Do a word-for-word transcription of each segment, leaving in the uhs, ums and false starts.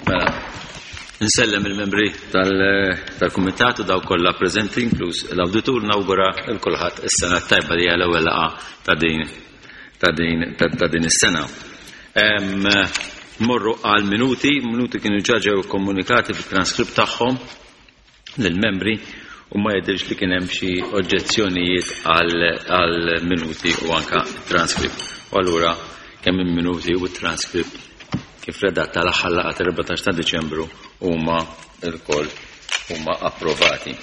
Mela, nsellem il-membri tal-kumitat u dawk kollha preżenti, inkluż l-awditur, nawgura lil kulħadd is-sena tajba li hija l-ewwel laqgħa ta' din ta' din ta' din is-sena. Morru għal minuti, minuti kienu ġa ġew komunikati fit-transkript tagħhom lill-membri u ma jidhirx li kien hemm xi oġġezzjonijiet għal minuti u anka transkript. U allura kemm il-minuti u t-transkript kif redatta l-aħħar laqgħa tal-erbatax ta' Diċembru huma lkoll huma approvati.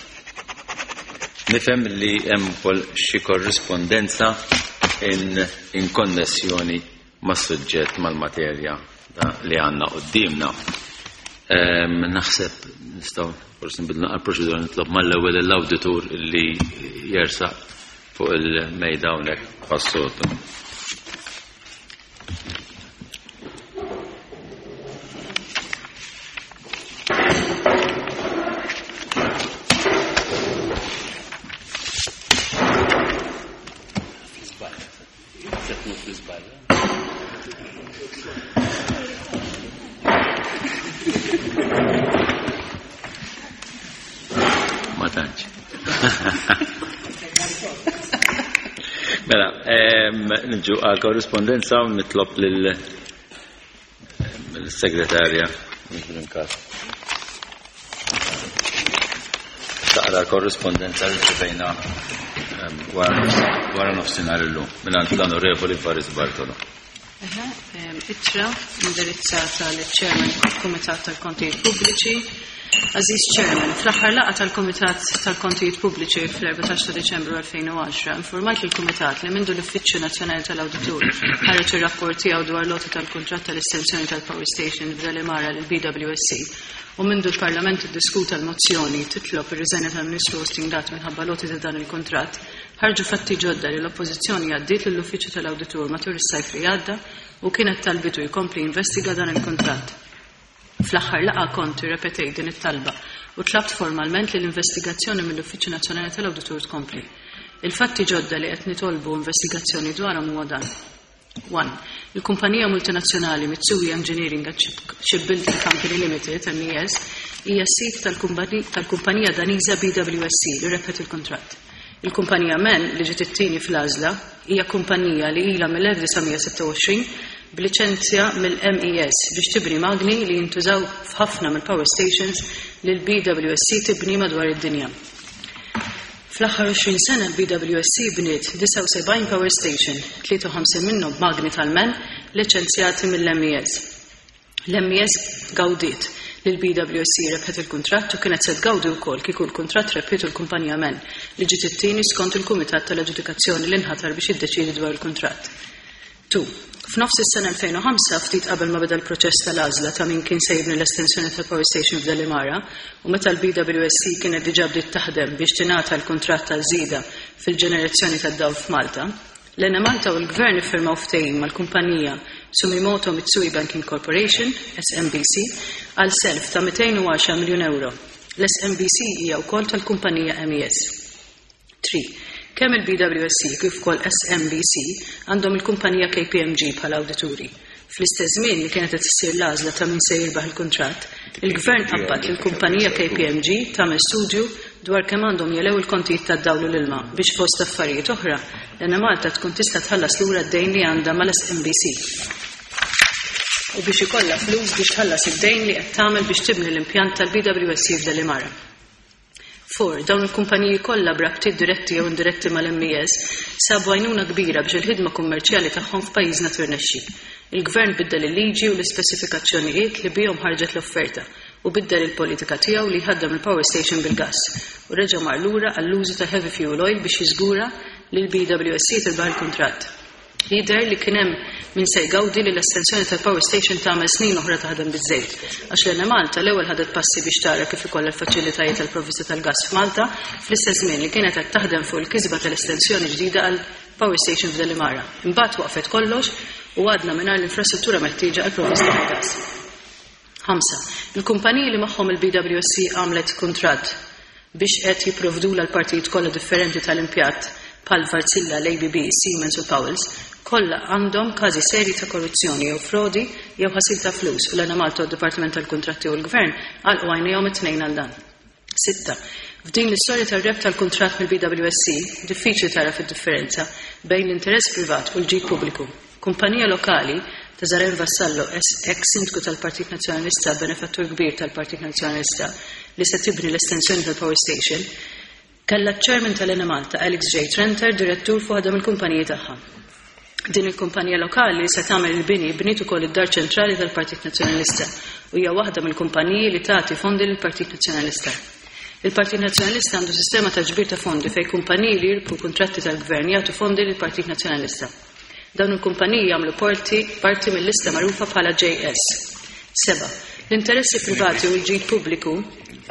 Nifhem li hemm ukoll xi korrispondenza in, in konnessjoni mas-suġġett, mal-materja li għandna quddiemna. Naħseb nistgħu forsi nbidlu għall-proċedura, nitlob mal-ewwel l-awditur li jersaq fuq il-mejda hawnhekk bħas-soltu. Ma tantx. Mela, nġu għal korrispondenza u nitlob lill-segretarja taqra l-korrispondenza li ċivejna wara nofsinhar illum mingħand l-Onorevoli Faris Bartolo. Ittra indirizzata liċ-Chairman tal-Kumitat tal-Kontijiet Pubbliċi. Aziz Chairman, fl-aħħar laqgħa tal-Kumitat tal-Kontijiet Pubbliċi fl-erbatax ta' Diċembru elfejn u għaxra infurmajt lill-Kumitat li mindu l-Uffiċċju Nazzjonali tal-Awditur ħareġ ir-rapport tiegħu dwar l-għoti tal-kuntratt tal-estensjoni tal-Power Station f'Delimara lil B W S C u mindu l-Parlament iddiskuta l-mozzjoni titlob ir-riżenja tal-Ministru Austin Gatt minħabba l-għoti ta' dan il-kuntratt, ħarġu fatti ġodda li l-Oppożizzjoni għaddiet lill-Uffiċċju tal-Awditur matul is-sajf li għadda u kienet talbitu jkompli jinvestiga dan il-kuntratt. Fl-aħħar laqgħa kont irrepetejt din it-talba u tlabt formalment li l-investigazzjoni mill-Uffiċċju Nazzjonali tal-Awditur tkompli. Il-fatti ġodda li qed nitolbu investigazzjoni dwarhom huwa dan. One. Il-kumpanija multinazzjonali Mitsui Engineering and Shipbuilding Company Limited, M E S, hija s-sid tal-kumpanija Daniża B W S C li rebħet il-kuntratt. Il-kumpanija M E N, li ġiet it-tieni fl-għażla, hija kumpanija li ilha mill-elf disa' mija sitta u għoxrin b'liċenzja mill-M E S biex tibni magni li jintużaw f'ħafna mill-power stations li l-B W S C tibni madwar id-dinja. Fl-aħħar għoxrin sena l-B W S C bniet disgħa u sebgħin power station, tlieta u ħamsin minnhom b'magni tal-M E N liċenzjati mill-M E S. L-M E S gawdiet li l-B W S C rebħet il-kuntratt u kienet se tgawdi wkoll kieku l-kuntratt rebħitu l-kumpanija M E N li ġiet it-tieni skont il-Kumitat tal-Aġġudikazzjoni li nħatar biex jiddeċiedi dwar il-kuntratt. Two. F'nofs is-sena elfejn u ħamsa, ftit qabel ma beda l-proċess tal-għażla ta' min kien se jibni l-estensjoni tal-Power Station f'Delimara u meta l-B W S C kienet diġà bdiet taħdem biex tingħata l-kuntratt tal-żieda fil-ġenerazzjoni tad-dawl f'Malta, l-Enemalta u l-Gvern iffirmaw ftehim mal-kumpanija Sumitomo Mitsui Banking Corporation, S M B C, għal self ta' mitejn u għaxar miljun euro. L-S M B C hija wkoll tal-kumpanija M E S. Three. Kemm il-B W S C kif ukoll S M B C għandhom il-kumpanija K P M G bħala awdituri. Fl-istess żmien li kienet qed issir l-għażla ta' min se jirbaħ il-kuntratt, il-Gvern qabbad lill-kumpanija K P M G tagħmel studju dwar kemm għandhom jelew il-kontijiet tad-dawl u l-ilma biex fost affarijiet oħra l-Enemalta tkun tista' tħallas lura d-dejn li għandha mal-S M B C. U biex ikollha flus biex tħallas id-dejn li qed tagħmel biex tibni l-impjant tal-B W S C f'Delimara. Four. Dawn il-kumpaniji kollha b'rabtiet diretti jew indiretti mal-M E S sabu għajnuna kbira biex il-ħidma kummerċjali tagħhom f'pajjiżna tirnexxi. Il-Gvern biddel il-liġi u l-ispeċifikazzjonijiet li bihom ħarġet l-offerta u biddel il-politika tiegħu li jħaddem il-power station bil-gass u reġa' mar lura għall-użu ta' heavy fuel oil biex jiżgura li l-B W S C tirbaħ il-kuntratt. Jidher li kien hemm min se jgawdi li l-estensjoni tal-power station tagħmel snin oħra taħdem biż-żejt, għax l-Enemalta l-ewwel ħadet passi biex tara kif ikollha l-faċilitajiet tal-provvista tal-gass f'Malta fl-istess żmien li kienet qed taħdem fuq il-kisba tal-estensjoni ġdida għal power station f'Delimara. Imbagħad waqfet kollox u għadna mingħajr l-infrastruttura meħtieġa għal provvista tal-gass. Ħamsa. Il-kumpaniji li magħhom il-B W S C għamlet kuntratt biex qed jipprovdula l-partijiet kollha differenti tal-impjatt bħal Wärtsilä, l-A B B, Siemens u Powells, Kollha għandhom każi serji ta' korruzzjoni jew frodi jew ħasil ta' flus u l-Enemalta u d-Dipartiment tal-Kuntratti u l-Gvern għalqu għajnejhom it-tnejn għal dan. Sitta. F'din l-istorja tar-reb tal-kuntratt mill-B W S C, diffiċli tara fid-differenza bejn l-interess privat u l-ġid pubbliku. Kumpanija lokali ta' Zaren Vassallo, ex-sindku tal-Partit Nazzjonalista, benefattur kbir tal-Partit Nazzjonalista, li se tibni l-estensjoni tal-Power Station, kellha ċ-chairman tal-Enemalta, Alex J. Trenter, direttur fuq waħda mill-kumpaniji tagħha. Din il-kumpanija lokali li se tagħmel il-bini bniet ukoll id-dar ċentrali tal-Partit Nazzjonalista u hija waħda mill-kumpaniji li tagħti fondi lill-Partit Nazzjonalista. Il-Partit Nazzjonalista għandu sistema ta' ġbir ta' fondi fejn kumpaniji li jirbħu kuntratti tal-gvern jagħtu fondi lill-Partit Nazzjonalista. Dawn il-kumpaniji jagħmlu parti, parti mill-lista magħrufa bħala J S. Seba. L-interessi privati u l-ġid pubbliku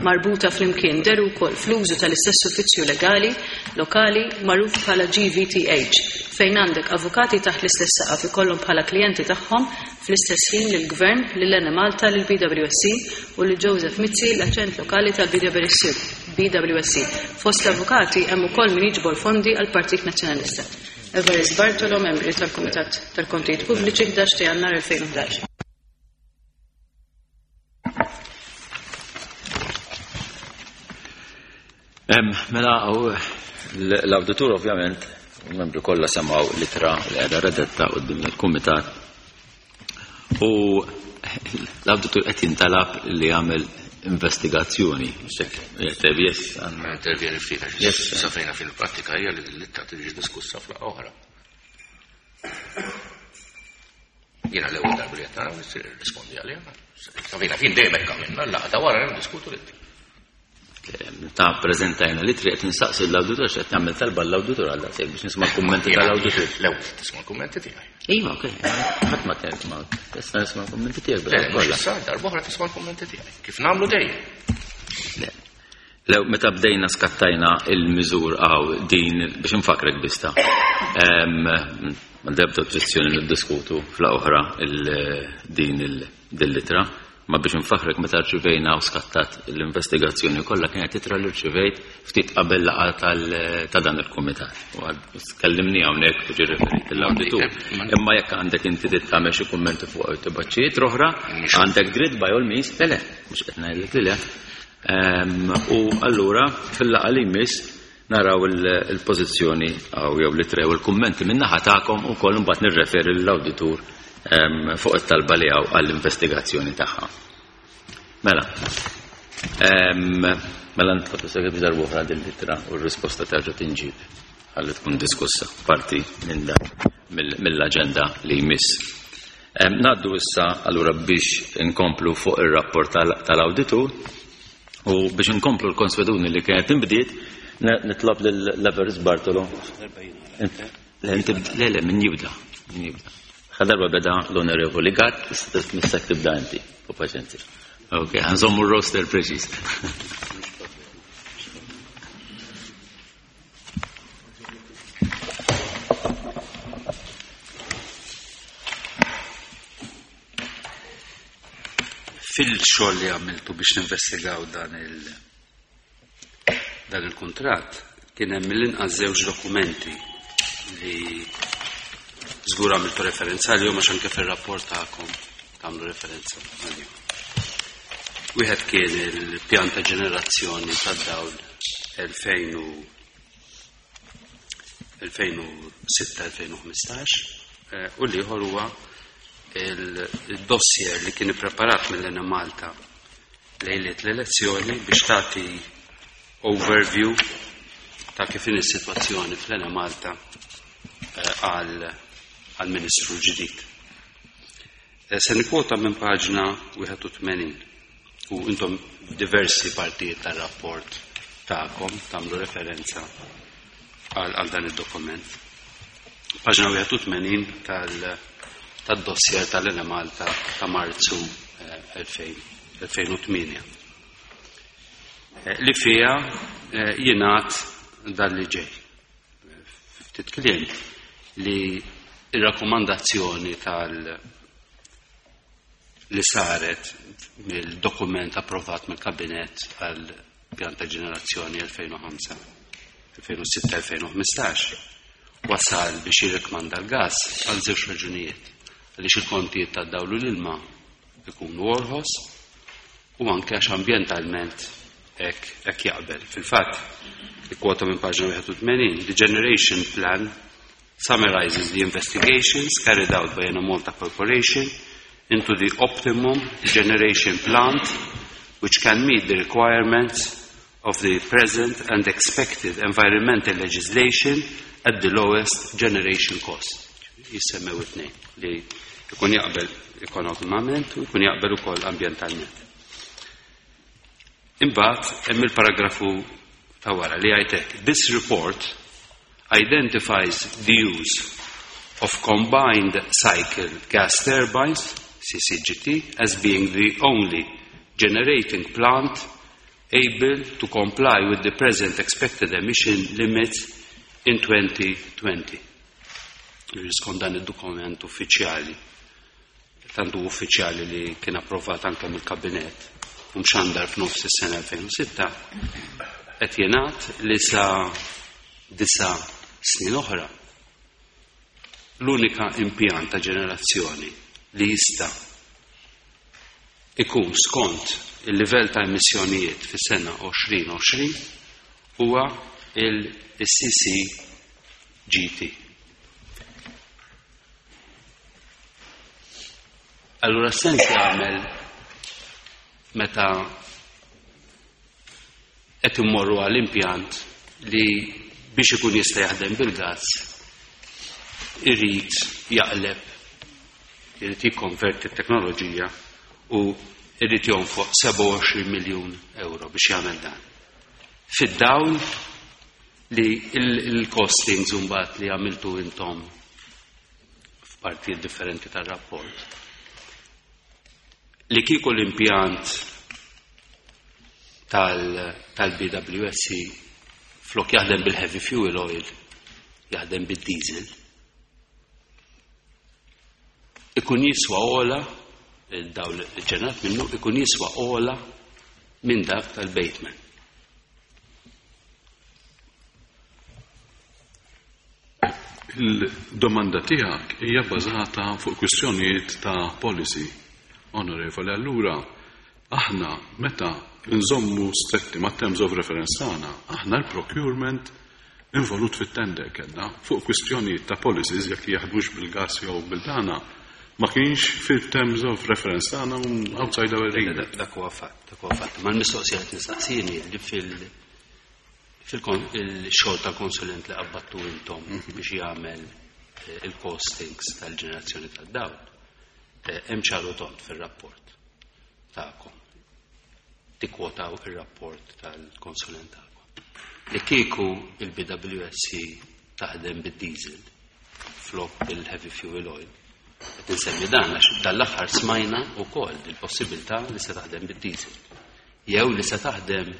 marbuta flimkien deru wkoll fl-użu tal-istess uffiċċju legali lokali magħruf bħala G V T H, fejn għandek avukati taħt l-istess saqaf ikollhom bħala klijenti tagħhom fl-istess ħin lill-Gvern, lil Enemalta, lil B W S C u lil Joseph Mizzi, l-aġent lokali tal-B W S C. B W S C. Fost l-avukati hemm ukoll min jiġbor fondi għall-Partit Nazzjonalista. Evarist Bartolo, membri tal-Kumitat tal-Kontijiet Pubbliċi, ħdax ta' Jannar elfejn u ħdax. Mela, l-awditur ovvjament, il-membri kollha semgħu l-ittra li qiegħda redetta quddiem il-kumitat. U l-awditur qed jintalab li jagħmel investigazzjoni. Yes, għandna. Intervjeni ftit għax Yes. sa fejna fil-prattika hija li l-ittra tiġi diskussa fl-laqgħa oħra. Jiena l-ewwel darba li qed nara nirrispondi għaliha. Sa fejna fin dejjem hekk għamilna, l-laqgħa ta' wara niddiskutu l-ittra. Ta' preżentajna li triq qed nistaqsi l-awditur x'qed nagħmel talba l-awditur għal daqshekk biex nisma' l-kummenti tal-awditur. L-ewwel tisma' l-kummenti tiegħi. Iva, okej. Ħadd ma kien ma tista' nisma' l-kummenti tiegħek Le, bella mhux kollha. issa, darba oħra tisma' l-kummenti tiegħi. Kif nagħmlu dejjem? Le. Lew meta bdejna skattajna il-miżur għaw din biex infakrek bista. Ehm, ma debda oġġezzjoni niddiskutu fl-oħra din il-litra. Ma biex nfaħrek meta rċivejna u skattat l-investigazzjoni kollha kienet titra li rċivejt ftit qabel laqgħa tal-, ta' dan il-kumitat. U għad tkellimni hawnhekk u ġi referit l-awditur. Imma jekk għandek inti trid tagħmel xi kummenti fuq tibaċċijiet oħra, għandek dritt by all means, le le, mhux qed ngħidlek li le. Ehm, u allura fil-laqgħa li jmiss naraw il-, il-pożizzjoni għaw jew li trew il-kummenti min-naħa tagħkom ukoll imbagħad nirreferi lill-awditur, ehm, fuq it-talba li hawn għall-investigazzjoni tagħha. Mela, ehm, mela nitlob issa biex darba oħra din l-ittra u r-risposta terġa' tinġib ħalli tkun diskussa parti minn dan mill-, mill-aġenda li jmiss. Ehm, ngħaddu issa allura biex inkomplu fuq ir-rapport tal-, tal-awditur u biex inkomplu l-konsweduni li kienet inbdiet, ne-, nitlob lil Evarist Bartolo. Le, inti bd-, le, le, min jibda, min jibda. Ħadarba beda l-Onorevoli Gatt, missak tibda inti, u paċenzja. Ok, għanżommu r-roster preċiż. Fil-xogħol li għamiltu biex ninvestigaw dan il-, dan il-kuntratt, kien hemm mill-inqas żewġ dokumenti li żgur għamiltu referenza għalihom għax anke fir-rapport tagħkom tagħmlu referenza għalihom. Wieħed kien il-pjan ta' ġenerazzjoni tad-dawl elfejn u elfejn u sitta elfejn u ħmistax, eh, u l-ieħor huwa il-dossier li kien ippreparat mill-Enemalta lejliet l-elezzjoni biex tagħti overview ta' kif in is-sitwazzjoni fl-Enemalta, eh, għal, għal Ministru ġdid. Eh, se nikkwota minn paġna wieħed u tmenin u intom f'diversi partijiet tar-rapport tagħkom tagħmlu referenza għal, għal dan id-dokument. Paġna wieħed u tmenin tal-, tad-dossier tal-Enemalta ta' Marzu, eh, elfejn, elfejn u tmienja. Eh, li fiha, eh, jingħad dan li ġej. Ftit kliem li ir-rakkomandazzjoni tal li saret mill-dokument approvat mill-Kabinett għal pjan ta' ġenerazzjoni elfejn u ħamsa, elfejn u sitta, elfejn u ħmistax wasal biex jirrekmanda l-gas għal żewġ raġunijiet. Għaliex il-kontijiet tad-dawl u l-ilma ikunu orħos u anke għax ambjentalment hekk hekk jaqbel. Fil-fatt, ikkwota minn paġna wieħed u tmenin, "The generation plan summarizes the investigations carried out by Enemalta Corporation into the optimum generation plant which can meet the requirements of the present and expected environmental legislation at the lowest generation cost." Jissemmew it-tnejn li jkun jaqbel ekonomikament u jkun jaqbel ukoll ambjentalment. Imbagħad hemm il-paragrafu ta' wara li jgħidlek, "This report identifies the use of combined cycle gas turbines, C C G T, as being the only generating plant able to comply with the present expected emission limits in twenty twenty" Skont dan id-dokument uffiċjali, tantu uffiċjali li kien approvat anke mill-kabinet u mxandar f'nofs is-sena elfejn u sitta, qed jingħad li sa disa' snin oħra l-unika impjant ta' ġenerazzjoni li jista' ikun skont il-livell ta' emissjonijiet fis-sena elfejn u għoxrin huwa il-C C G T. Allura sens jagħmel meta qed immorru għal impjant li biex ikun jista' jaħdem bil-gas irid jaqleb, irid jikkonverti t-teknoloġija u irid jonfoq sebgħa u għoxrin miljun euro biex jagħmel dan. Fid-dawl li il-costings mbagħad li għamiltu intom f'partijiet differenti tar-rapport li kieku l-impjant tal-B W S C flok jaħdem bil-heavy fuel oil jaħdem bil-diesel, ikun jiswa ogħla, il-dawl ġenerat minnu ikun jiswa ogħla minn dak tal-Bateman. Il-domanda tiegħek hija bbażata fuq kwistjonijiet ta' policy, onorevoli. Allura, aħna meta nżommu stretti ma' terms of reference tagħna, aħna l-procurement involut fit-tender kellna fuq kwistjonijiet ta' policies jekk jaħdmux bil-gas jew bil-dana ma kienx fil-terms of reference tagħna, outside our remit. Dak huwa fatt, dak huwa fatt. Ma l-mistoqsija qed nistaqsini li fil fil-xogħol tal-konsulent li qabbattu intom biex jagħmel eh, il-costings tal-ġenerazzjoni tad-dawl, eh, hemm ċaru tond fir-rapport tagħkom. Tikkwotaw ir-rapport tal-konsulent tagħkom. Li kieku il-B W S C taħdem bid-diesel flok bil-heavy fuel oil. Qed insemmi dan għax dal-aħħar smajna wkoll il-possibilità li se taħdem bid-diesel. Jew li se taħdem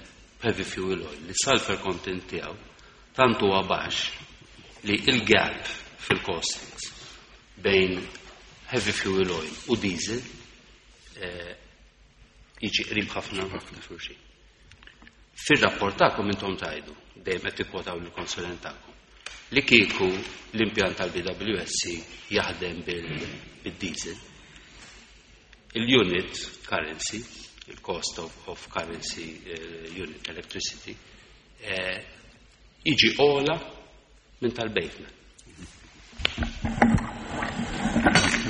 heavy fuel oil, li sulfur content tiegħu tant huwa baxx li il-gap fil-costings bejn heavy fuel oil u diesel eh, jiġi qrib ħafna xulxin. Fir-rapport tagħkom intom tgħidu, dejjem qed tikkwotaw lill-konsulent tagħkom, li kieku l-impjant tal-B W S C jaħdem bil-diesel, il-unit currency, il-cost of, of currency uh, unit electricity, eh, jiġi ogħla minn tal-Bateman.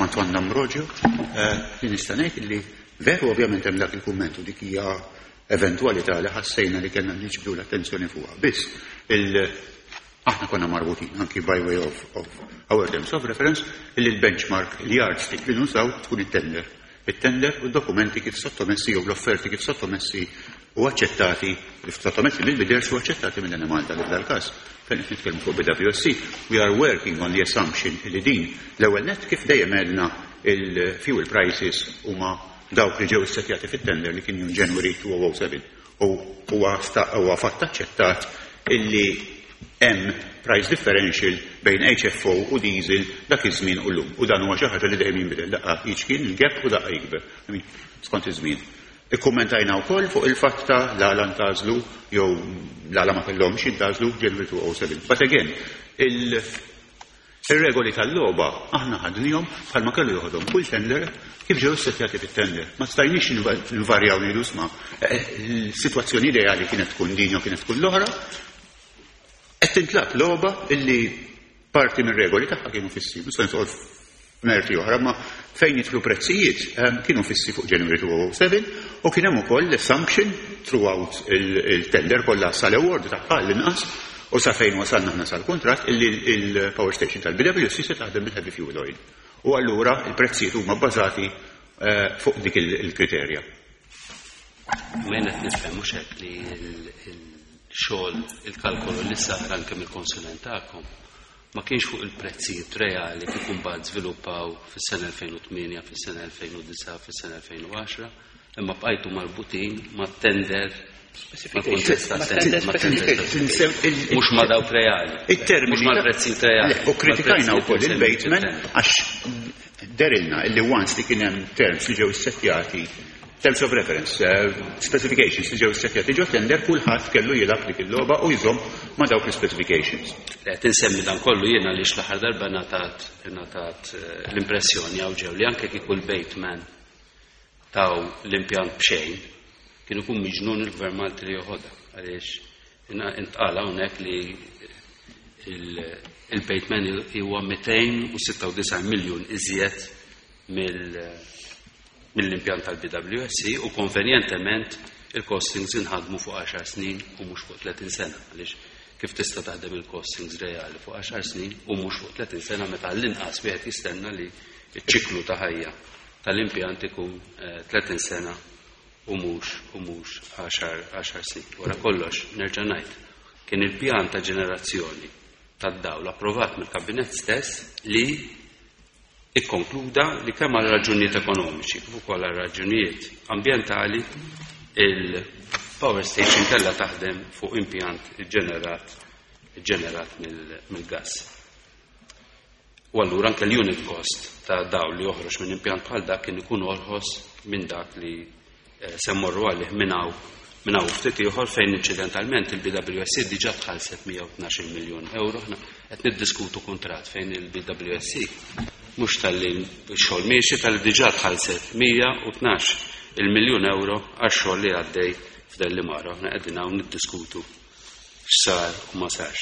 Antoine D'Ambrogio, eh, li nista' ngħid li veru ovvjament hemm dak il-kumment u dik hija eventualità li ħassejna li kellna niġbdu l-attenzjoni fuqha. Biss il aħna konna marbutin anki by way of, of our terms of reference illi l-benchmark, il-yardstick li nużaw tkun it-tender. Il-tender u d-dokumenti kif sottomessi jew l-offerti kif sottomessi u aċċettati, kif sottomessi mill-bidders u aċċettati mill-Enemalta li f'dal-każ fejn qed nitkellmu fuq B W S C, we are working on the assumption li din l-ewwel net, kif dejjem għedna, il-fuel prices huma dawk li ġew issettjati fit-tender li kien January two thousand seven u huwa huwa fatt aċċettat illi hemm price differential bejn H F O u diesel dak iż-żmien u llum. U dan huwa xi ħaġa li dejjem jinbidel, daqqa jiċkien il-gap u daqqa jikber. I mean, skont iż-żmien. Ikkummentajna wkoll fuq il-fatt ta' l-għala ntgħażlu jew l-għala ma kellhomx jintgħażlu January two thousand seven. But again, il Ir-regoli tal-logħba aħna ħadnihom bħalma kellu joħodhom kull tender kif ġew issettjati fit-tender. Ma stajniex nvarjaw ngħidu isma' il-sitwazzjoni ideali kienet tkun din jew kienet tkun l-oħra. Qed tintlagħab logħba illi parti mir-regoli tagħha kienu fissi, mhux se nidħol f'merti oħra, ma fejn jidħlu prezzijiet kienu fissi fuq January two thousand seven u kien hemm ukoll l-assumption throughout il-tender kollha sal-award tagħha l-inqas u sa fejn wasalna aħna sal-kuntratt illi il-power station tal-B W S C se taħdem bil-heavy fuel oil. U allura il-prezzijiet huma bbażati fuq dik il-kriterja. Ma jien qed nifhem mhux hekk li il-xogħol, il-kalkolu li sar anke mill-konsulent tagħkom ma kienx fuq il-prezzijiet reali kif imbagħad żviluppaw fis-sena elfejn u tmienja, fis-sena elfejn u disgħa, fis-sena elfejn u għaxra, imma bqajtu marbutin ma' tender, mhux ma' dawk reali. Il-termini. Mhux mal-prezzijiet reali. U kritikajna wkoll il-Bateman għax dehrilna illi once li kien hemm terms li ġew issettjati, terms of reference, uh, specifications li ġew issettjati ġo tender, kulħadd kellu jilgħab dik il-logħba u jżomm ma' dawk l-specifications. Qed insemmi dan kollu jiena li l-aħħar darba ngħatat ngħatat l-impressjoni hawn ġew li anke kieku l-Bateman taw l-impjant b'xejn, kien ikun miġnun il-Gvern Malti li joħodha, għaliex intqala hawnhekk li il-Bateman huwa mitejn u sitta u disgħin miljun iżjed mill-impjant tal-B W S C u konvenjentement il-costings inħadmu fuq għaxar snin u mhux fuq tletin sena, għaliex kif tista' taħdem il-costings reali fuq għaxar snin u mhux fuq tletin sena meta l-inqas wieħed jistenna li ċ-ċiklu ta' ħajja tal-impjant ikun tletin sena u mhux u mhux għaxar snin? Wara kollox, nerġa' ngħid, kien il-pjan ta' ġenerazzjoni tad-dawl approvat mill-kabinett stess li ikkonkluda li kemm għal raġunijiet ekonomiċi kif ukoll għal raġunijiet ambjentali il-power station kellha taħdem fuq impjant ġenerat ġenerat mill-gas. U allura anke l-unit cost ta' dawl li joħroġ minn impjant bħal dak kien ikun orħos minn dak li se mmorru għalih minn hawn minn hawn ftit ieħor, fejn incidentalment il-B W S C diġà tħallset mija u tnax-il miljun euro. Aħna qed niddiskutu kuntratt fejn il-B W S C mhux talli x-xogħol miexi, talli diġà tħallset mija u tnax il-miljun euro għax-xogħol li għaddej f'Delimara. Aħna qegħdin hawn niddiskutu x'sar u ma sarx.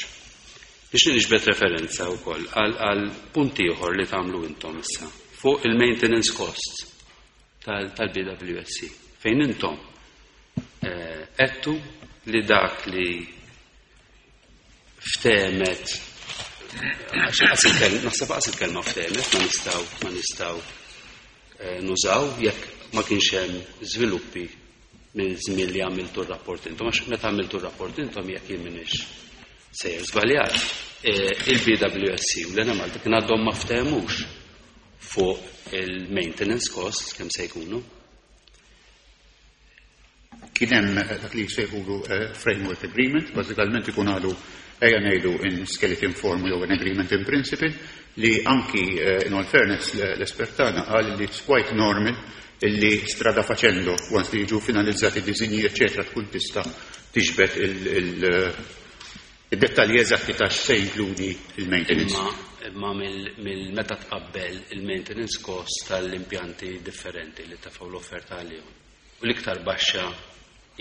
Biex niġbed referenza wkoll għal punt ieħor li tagħmlu intom issa fuq il-maintenance costs tal-B W S C, fejn intom għedtu li dak li ftehmet, naħseb qas il-kelma ftehmet ma nistgħu ma nistgħu nużaw jekk ma kienx hemm żviluppi minn żmien li għamiltu r-rapport intom, għax meta għamiltu r-rapport intom, jekk jien m'iniex sejjer żbaljat, il-B W S C u l-Enemalta kien għadhom ma ftehmux fuq il-maintenance costs kemm se jkunu. Kien hemm dak li jsejħulu framework agreement, bażikament ikun għadu, ejja ngħidu, in skeleton form jew an agreement in principle, li anki in all fairness l-espert tagħna qal li it's quite normal illi strada facendo, once li jiġu finalizzati disinji eccetera, tkun tista' tiġbed il-dettalji eżatti ta' x'se jinkludi il-maintenance. Imma mill-meta tqabbel il-maintenance cost tal-impjanti differenti li tefgħu l-offerta għalihom, u l-iktar baxxa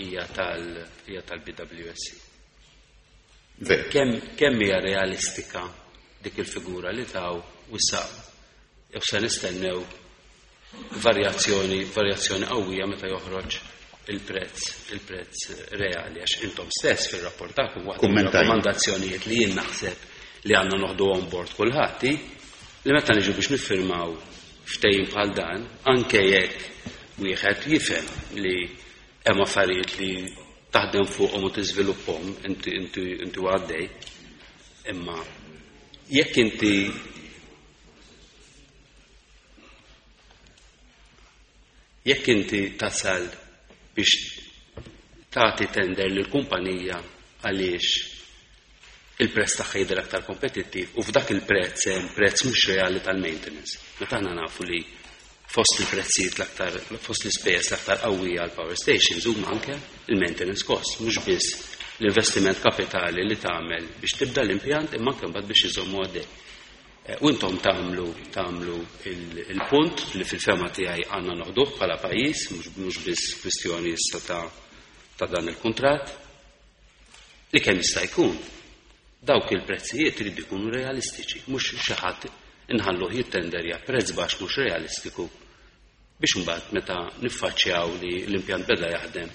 hija tal-B W S C. Kemm kemm hija realistika dik il-figura li taw u issa jew se nistennew varjazzjoni varjazzjoni qawwija meta joħroġ il-prezz il-prezz reali, għax intom stess fir-rapport tagħkom waħda rakkomandazzjonijiet li jien naħseb li għandna noħdu on board kulħadd li meta niġu biex niffirmaw ftehim bħal dan, anke jekk wieħed jifhem li hemm affarijiet li taħdem fuqhom u tiżviluppahom inti inti inti għaddej, imma jekk inti jekk inti tasal biex tagħti tender lil kumpanija għaliex il-prezz tagħha jidher aktar kompetittiv u f'dak il-prezz hemm prezz mhux reali tal-maintenance. Meta aħna nafu li fost il-prezzijiet l-aktar, fost l-ispejjeż l-aktar qawwija għal power stations huma anke il-maintenance cost, mhux biss l-investiment kapitali li tagħmel biex tibda l-impjant imma anke mbagħad biex iżommu għaddej. U intom tagħmlu tagħmlu il-punt li fil-fema tiegħi għandna noħduh bħala pajjiż, mhux biss kwistjoni issa ta' ta' dan il-kuntratt, li kemm jista' jkun dawk il-prezzijiet iridu jkunu realistiċi, mhux xi ħadd inħalluh jittenderja prezz baxx mhux realistiku biex imbagħad meta niffaċċjaw li l-impjant beda jaħdem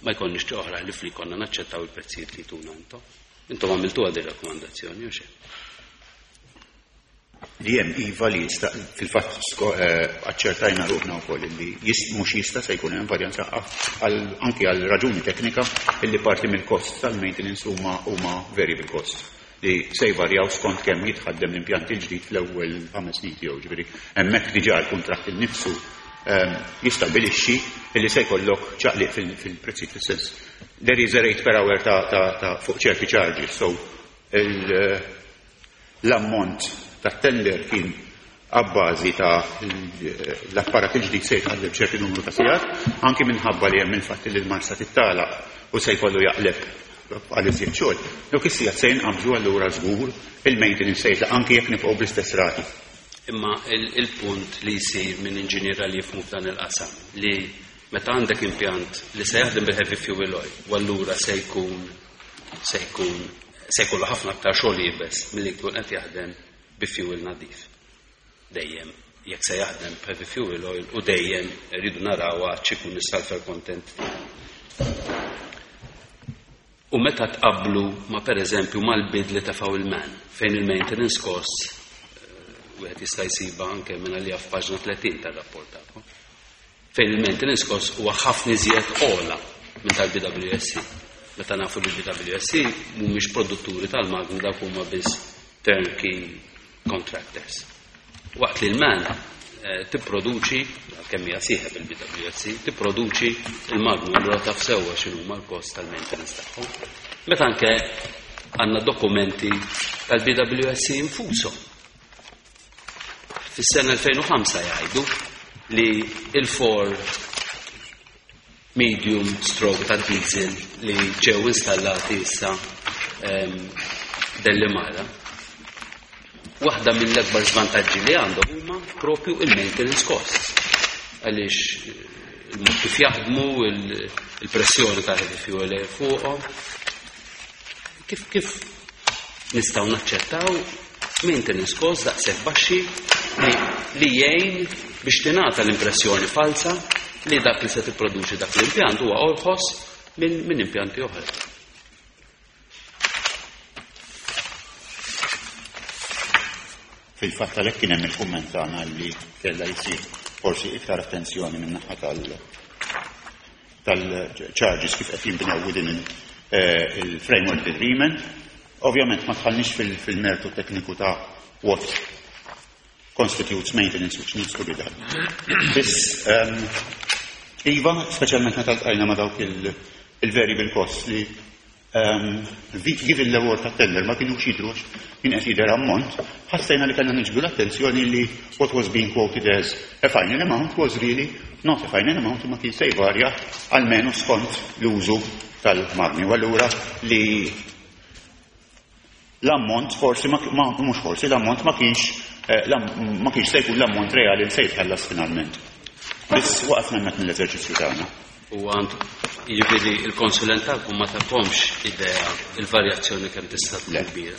ma jkollniex oħra li fli konna naċċettaw il-prezzijiet li tuna intom. Intom għamiltu għadi rakkomandazzjoni u xejn. Li hemm iva li jista' fil-fatt aċċertajna ruħna wkoll li mhux jista' se jkun hemm varjanza anki għal raġuni teknika illi parti mill-kost tal-maintenance huma huma variable cost li se jvarjaw skont kemm jitħaddem l-impjant il-ġdid fl-ewwel ħames snin tiegħu, ġifieri hemmhekk diġà l-kuntratt innifsu jistabbilixxi illi se jkollok ċaqliq fil-prezzijiet fis-sens. There is a rate per hour ta' fuq ċerti charges, so l-ammont tat-tender kien abbażi ta' l-apparat il-ġdid se jitħaddem ċerti numru ta' sigħat, anki minħabba li hemm il-fatt li l-marsa tittalaq u se jkollu jaqleb għal iżjed xogħol. Dawk is-sigħat se jinqabżu allura żgur il-maintenance se jitlaq anki jekk nibqgħu bl-istess rati. Imma il-punt li jsir minn inġiniera li jifhmu f'dan il-qasam li meta għandek impjant li se jaħdem bil-heavy fuel oil u allura se jkun se jkun se jkollu ħafna aktar xogħol iebes milli jkun qed jaħdem bi fuel nadif. Dejjem jekk se jaħdem b'heavy fuel oil u dejjem rridu naraw x'ikun is-sulfur content. U meta tqablu ma pereżempju mal-bid li tefgħu il-man fejn il-maintenance costs wieħed jista' jsibha anke minn għalija f'paġna tletin tar-rapport tagħkom. Fejn il-maintenance cost huwa ħafna iżjed ogħla minn tal-B W S C. Meta nafu li B W S C mhumiex produtturi tal-magni dawk huma biss turnkey contractors. Waqt li l-man tipproduċi, kemm hija sieħeb il-B W S C, tipproduċi il-magni allura taf sewwa x'inhuma l-kost tal-maintenance tagħhom. Meta anke għandna dokumenti tal-B W S C infushom. Fis-sena elfejn u ħamsa jgħidu li il-four medium stroke ta' diesel li ġew installati issa Delimara. Waħda mill-akbar żvantaġġi li għandhom huma propju il-maintenance costs. Għaliex il-mod kif jaħdmu, il-pressjoni ta' heavy fuel fuqhom. Kif kif nistgħu naċċettaw maintenance costs daqshekk baxxi li, li jgħin biex tingħata l-impressjoni falsa li dak li se tipproduċi dak l-impjant huwa orħos minn, minn impjanti oħra. Fil-fatt għalhekk kien hemm il-kumment tagħna li kellha jsir forsi iktar attenzjoni minn naħa tal-, tal-charges kif qed jinbnew within il-framework agreement. Ovvjament ma tħallniex fil-mertu tekniku ta' what constitutes maintenance which needs to be done. Biss, um, iva, speċjalment meta ltqajna ma' dawk il-variable costs li um, given l-award ta' tender ma kinux jidrux kien qed jidher ammont, ħassejna li kellna niġbdu l-attenzjoni li what was being quoted as a final amount was really not a final amount ma kien se jvarja almenu skont l-użu tal-magni. U allura li l-ammont forsi ma, ma, mhux forsi l-ammont ma kienx, eh, ma kienx se jkun l-ammont reali li se jitħallas finalment. Biss waqfna hemmhekk mill-eżerċizzju tagħna. U għand jiġifieri il-konsulent tagħkom ma tagħkomx idea il-varjazzjoni kemm tista' tkun Le. kbira.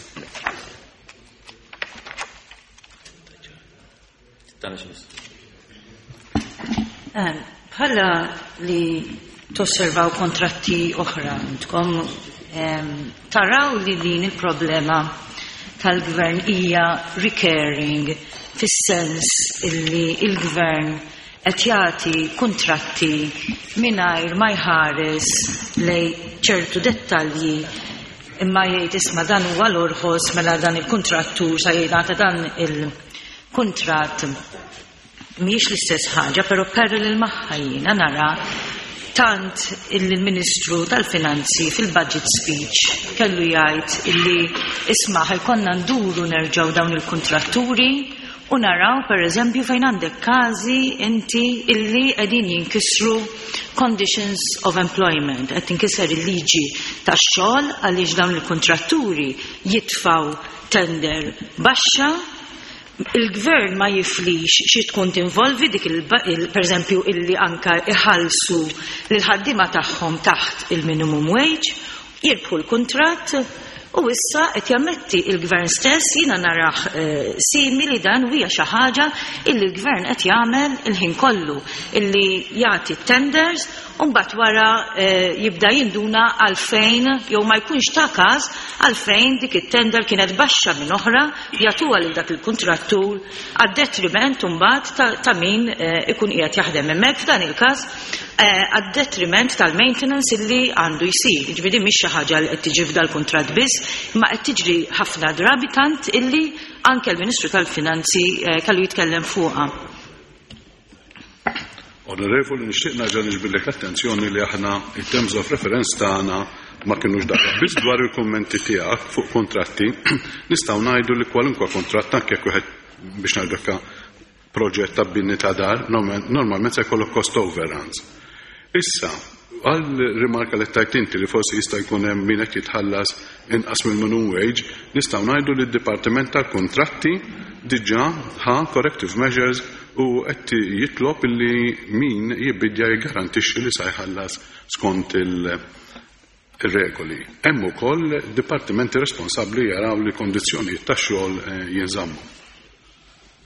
Bħala li tosservaw kontratti oħra intkom, em, taraw li din il-problema tal-gvern hija recurring fis-sens illi il-gvern qed jagħti kuntratti mingħajr ma jħares lej ċertu dettalji imma jgħid isma' dan huwa l-orħos mela dan il-kuntrattur sa jgħid dan il-kuntratt mhijiex l-istess ħaġa, però parallel magħha jiena nara tant il-Ministru tal-Finanzi fil-budget speech kellu jgħid illi isma' ħajkonna nduru nerġgħu dawn il-kuntratturi u naraw per eżempju fejn għandek każi inti illi qegħdin jinkisru conditions of employment, qed tinkiser il-liġi tax-xogħol għaliex dawn il-kuntratturi jitfgħu tender baxxa Il-gvern ma jiflix xi tkun tinvolvi dik il, per eżempju illi anka iħallsu lil ħaddiema tagħhom taħt il-minimum wage, jirbħu l-kuntratt u issa qed jammetti il-gvern stess. Jiena narah eh, simili dan u hija xi ħaġa illi l-gvern qed jagħmel il-ħin kollu, illi jagħti tenders u mbagħad wara eh, jibda jinduna għalfejn jew ma jkunx ta' każ għalfejn dik it-tender kienet baxxa minn oħra, jagħtuha lil dak il-kuntrattur għad-detriment mbagħad ta', ta min eh, ikun qiegħed jaħdem hemmhekk, f'dan il-każ għad-detriment tal-maintenance illi għandu jsir. Jiġifieri mhix xi ħaġa li qed tiġi f'dal-kuntratt biss, imma qed tiġri ħafna drabi tant illi anke l-Ministru tal-Finanzi kellu jitkellem fuqha. Onorevoli, nixtieq nerġa' niġbidlek l-attenzjoni li aħna in terms of reference tagħna ma kinux dak. Biss dwar il-kummenti tiegħek fuq kontratti, nistgħu ngħidu li kwalunkwe kontratt, anke jekk wieħed biex ngħidu proġett ta' bini ta' dar, normalment se jkollok cost overruns. Issa, għal rimarka li tajt inti li forsi jista' jkun hemm min qed jitħallas inqas mill-minimum wage, nistgħu ngħidu li d-Dipartiment tal-Kontratti diġà ħa corrective measures u qed jitlob li min jibbidja jgarantixxi li sa jħallas skont il-regoli. Hemm ukoll dipartimenti responsabbli jaraw li kondizzjonijiet tax-xogħol jinżammu.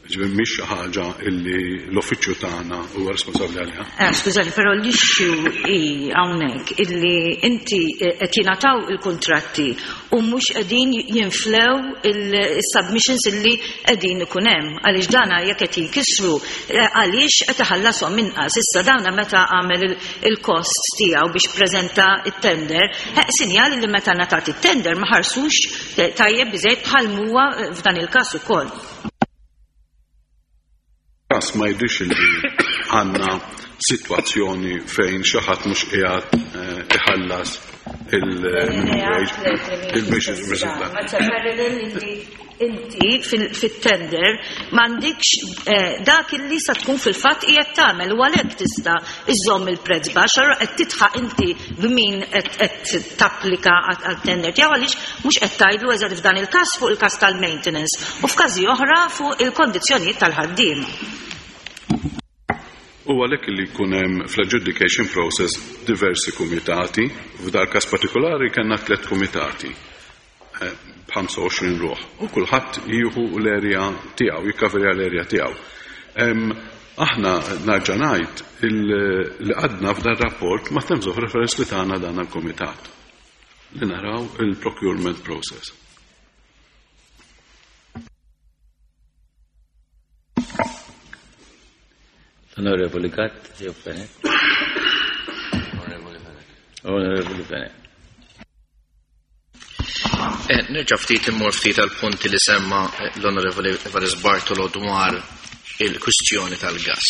Ġifieri mhix xi ħaġa illi l-uffiċċju tagħna huwa responsabbli għaliha. Eh, skużani, però l-issue hi hawnhekk illi inti qed jingħataw il-kuntratti u mhux qegħdin jinflew il-submissions illi qegħdin ikun hemm. Għaliex dana jekk qed jinkisru, għaliex qed iħallashom inqas. Issa dawna meta għamel il-cost tiegħu biex preżenta it-tender, sinjali li meta ngħatat it-tender ma ħarsux tajjeb biżejjed bħal huwa f'dan il-każ ukoll. Każ ma jidhirx li għandna sitwazzjoni fejn xi ħadd mhux qiegħed iħallas il-minimum wage, il-biex il-riżultat. Inti fit-tender m'għandikx dak illi sa tkun fil-fatt qiegħed tagħmel u għalhekk tista' iżżomm il-prezz baxx, allura qed titħaq inti b'min qed tapplika għat-tender tiegħu għaliex mhux qed tgħidlu eżatt f'dan il-każ fuq il-każ tal-maintenance u f'każi oħra fuq il-kondizzjonijiet tal-ħaddiem. U għalhekk li jkun hemm fl-adjudication process diversi kumitati, f'dal każ partikolari kellna tliet kumitati b'ħamsa u għoxrin ruħ u kulħadd jieħu l-erja tiegħu, jikkaverja l-erja tiegħu. Aħna nerġa' ngħid li għadna f'dan rapport ma' terms of reference li tagħna dan il-kumitat li naraw il-procurement process. Onorevoli Gatt, jew Fenech. Onorevoli Fenech. Onorevoli Fenech. Eh, nerġa' ftit immur ftit għal punti li semma l-Onorevoli Evarist Bartolo dwar il-kwistjoni tal-gas.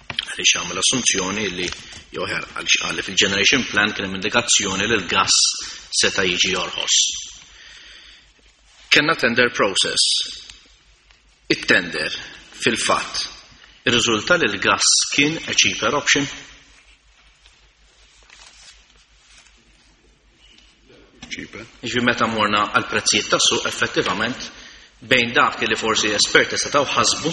Għaliex għamel assunzjoni li jew ħer għaliex qal li fil-generation plan kien hemm indikazzjoni li l-gas seta' jiġi jorħos. Kenna tender process. It-tender fil-fatt irriżulta li l-gas kien a cheaper option. Cheaper. Ġifieri meta morna għal prezzijiet tas-suq effettivament bejn dak li forsi esperti setgħu ħasbu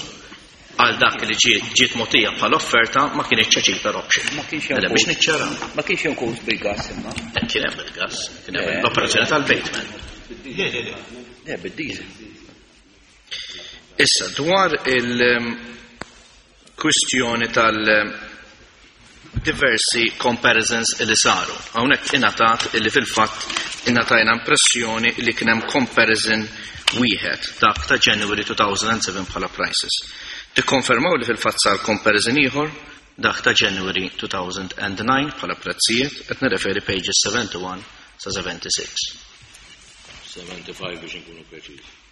għal dak li ġiet mogħtija bħala offerta ma kienx cheaper option. Ma kienx hemm Mela biex niċċara. Ma kienx hemm kos bil-gas imma. Eh, kien hemm bil-gas, kien hemm l-operazzjoni tal-Bateman. Le, le, le. Le, bid-diesel. Issa dwar il-kwistjoni tal- diversi comparisons li saru. Hawnhekk ingħatat illi fil-fatt ingħatajna impressjoni li kien hemm comparison wieħed dak ta' January two thousand and seven bħala prices. Tikkonfermaw li fil-fatt sar comparison ieħor dak ta' January two thousand and nine bħala prezzijiet, qed nirreferi pages seventy-one sa seventy-six. seventy-five biex inkunu preċiżi.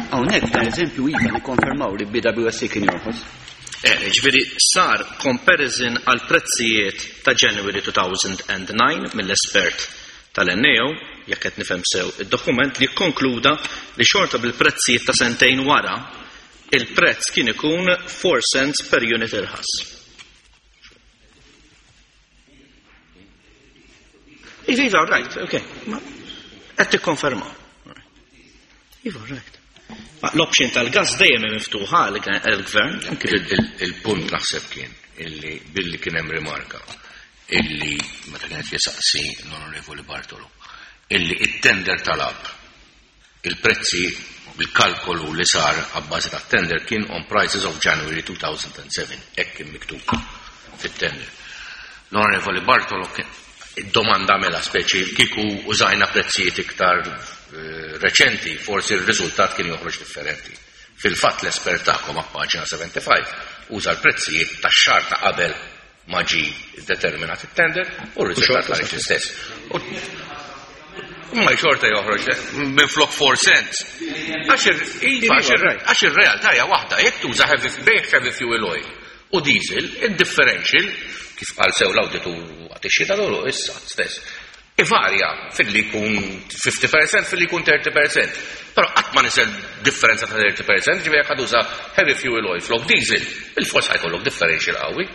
Hawnhekk f'dan eżempju iva nikkonfermaw li B W S C kien jorħos. Eh, ġifieri sar comparison għal prezzijiet ta' January two thousand and nine mill-espert tal-N A O jekk qed nifhem sew id-dokument, li kkonkluda li xorta bil-prezzijiet ta' sentejn wara il-prezz kien ikun four cents per unit irħas. Iva, iva, right, ok. Ma qed tikkonfermaw. Iva, right. Ma l-option tal-gas dejjem hemm miftuħa għall-gvern. Il-punt naħseb kien illi billi kien hemm rimarka illi meta kienet jisaqsi l-Onorevoli Bartolo illi it-tender talab il-prezzi bil-kalkolu li sar għabbażi tat-tender kien on prices of January two thousand seven, hekk kien miktub fit-tender. L-Onorevoli Bartolo id-domanda mela speċi kieku użajna prezzijiet iktar reċenti, forsi r-riżultat kien joħroġ differenti. Fil-fatt l-espert tagħkom paġna seventy-five uża l-prezzijiet tax-xahar ta' qabel ma ġie determinat it-tender u r-riżultat ħareġ l-istess. Ma xorta joħroġ minn flok four cents. Għax ir-realtà hija waħda, jekk tuża bejn heavy fuel oil u diesel, id-differential, kif qal sew l-awditur waqt ix-xita dolu issa stess, ivarja fil-li jkun fifty percent, fil-li jkun thirty percent. Però qatt ma nisel differenza ta' thirty percent, ġifieri jekk tuża heavy fuel oil flok diesel, il-fors ħajkollok differential qawwi.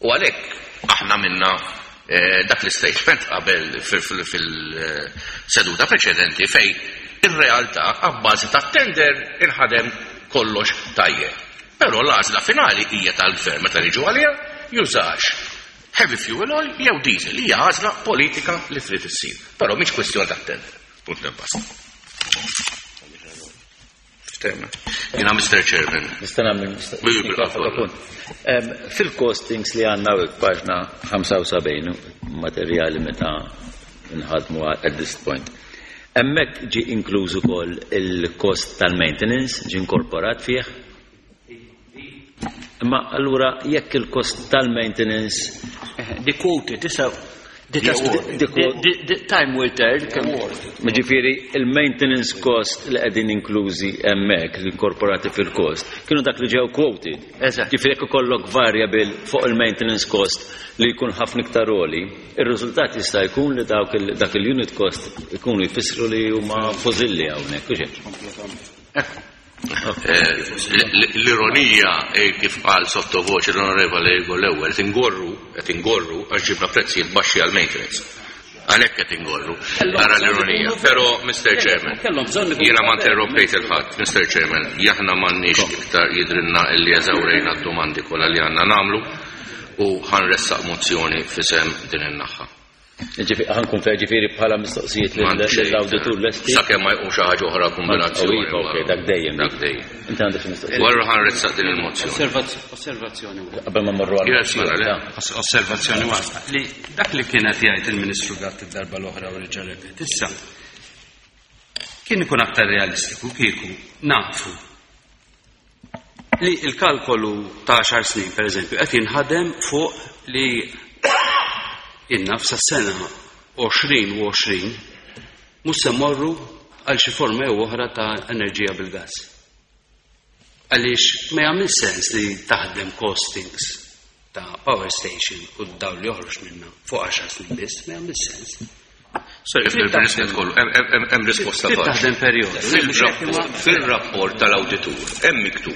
U għalhekk aħna minna dak l-statement qabel fil-seduta preċedenti fej ir-realtà għabbażi ta' tender inħadem kollox tajjeb. Però l-għażla finali hija tal-gvern meta niġu għaliha jużax heavy fuel oil jew diesel, hija għażla politika li trid issir. Però mhix kwestjoni ta' tender. Punt basta. Jina Mister Chairman. Nista' nagħmel punt. Fil-costings li għandna paġna ħamsa u sebgħin materjali meta nħadmu at this point. Hemmhekk ġie inkluż ukoll il-cost tal-maintenance, ġie inkorporat fih. Imma allura jekk il-cost tal-maintenance Di quoted, issa di time will tell. Ġifieri il-maintenance cost li qegħdin inklużi hemmhekk, li inkorporati fil-cost, kienu dak li ġew quoted. Ġifieri jekk ikollok variable fuq il-maintenance cost li jkun ħafna iktar għoli, ir-riżultat jista' jkun li dawk dak il-unit cost ikunu jfissru li huma fożilli hawnhekk, u xejn. L-ironija kif qal sottovoċi l-Onorevole Ego l-ewwel, qed ingorru, qed ingorru għax ġibna prezzijiet baxxi għal maintenance. Għalhekk qed ingorru. Ara l-ironija. Però Mister Chairman, jiena ma interrompejt il-ħadd, Mister Chairman, aħna m'għandniex iktar jidrinna illi eżawrejna d-domandi kollha li għandna nagħmlu u ħanressaq mozzjoni f'isem din in-naħa. Ġifieri ħankun fejn ġifieri bħala mistoqsijiet lill-awditur lesti. Sakemm ma jqum xi ħaġa oħra kombinazzjoni. Ok, dak dejjem. Dak dejjem. Inti għandek xi mistoqsija. Warra ħanressaq din il-mozzjoni. Osservazzjoni waħda. Qabel ma mmorru għal. Yes, mela, le. Osservazzjoni waħda. Li dak li kienet jgħid il-Ministru Gatt id-darba l-oħra u reġa' repet. Issa kien ikun aktar realistiku kieku nafu li l-kalkolu ta' għaxar snin, per eżempju, qed jinħadem fuq li inna f'sa sena għoxrin u għoxrin mhux se mmorru għal xi forma jew oħra ta' enerġija bil-gas. Għaliex ma jagħmel sens li taħdem costings ta' power station u d-dawl li joħroġ minna fuq għaxar snin biss, ma jagħmel sens. Sorry, fil-kollu, hemm risposta Trid taħdem perjodu. Fil-rapport tal-awditur hemm miktub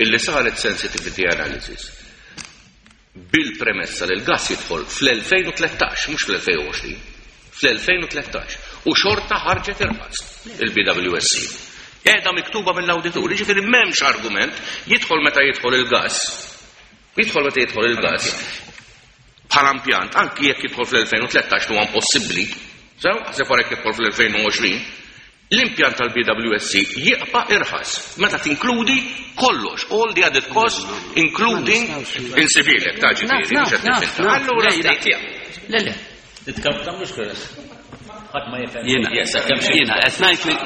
illi saret sensitivity analysis bil-premessa li l-gas jidħol fl-elfejn u tlettax, mhux fl-elfejn u għoxrin, fl-elfejn u tlettax, u xorta ħarġet irħas il-B W S C. Qiegħda miktuba mill-awditur, jiġifieri m'hemmx argument jidħol meta jidħol il-gas. Jidħol meta jidħol il-gas. Bħala impjant, anki jekk jidħol fl-elfejn u tlettax huwa impossibbli, sew ħaseb wara jekk jidħol fl-elfejn u għoxrin, l-impjant tal-B W S C jibqa' irħas meta tinkludi kollox, all the added costs including insibilek ta' ġifieri, mhux qed nifhem. Allura Le, le. Titkamx keres. Ħadd ma jifhem. Jiena, Yes, kemm xi. jiena qed ngħid li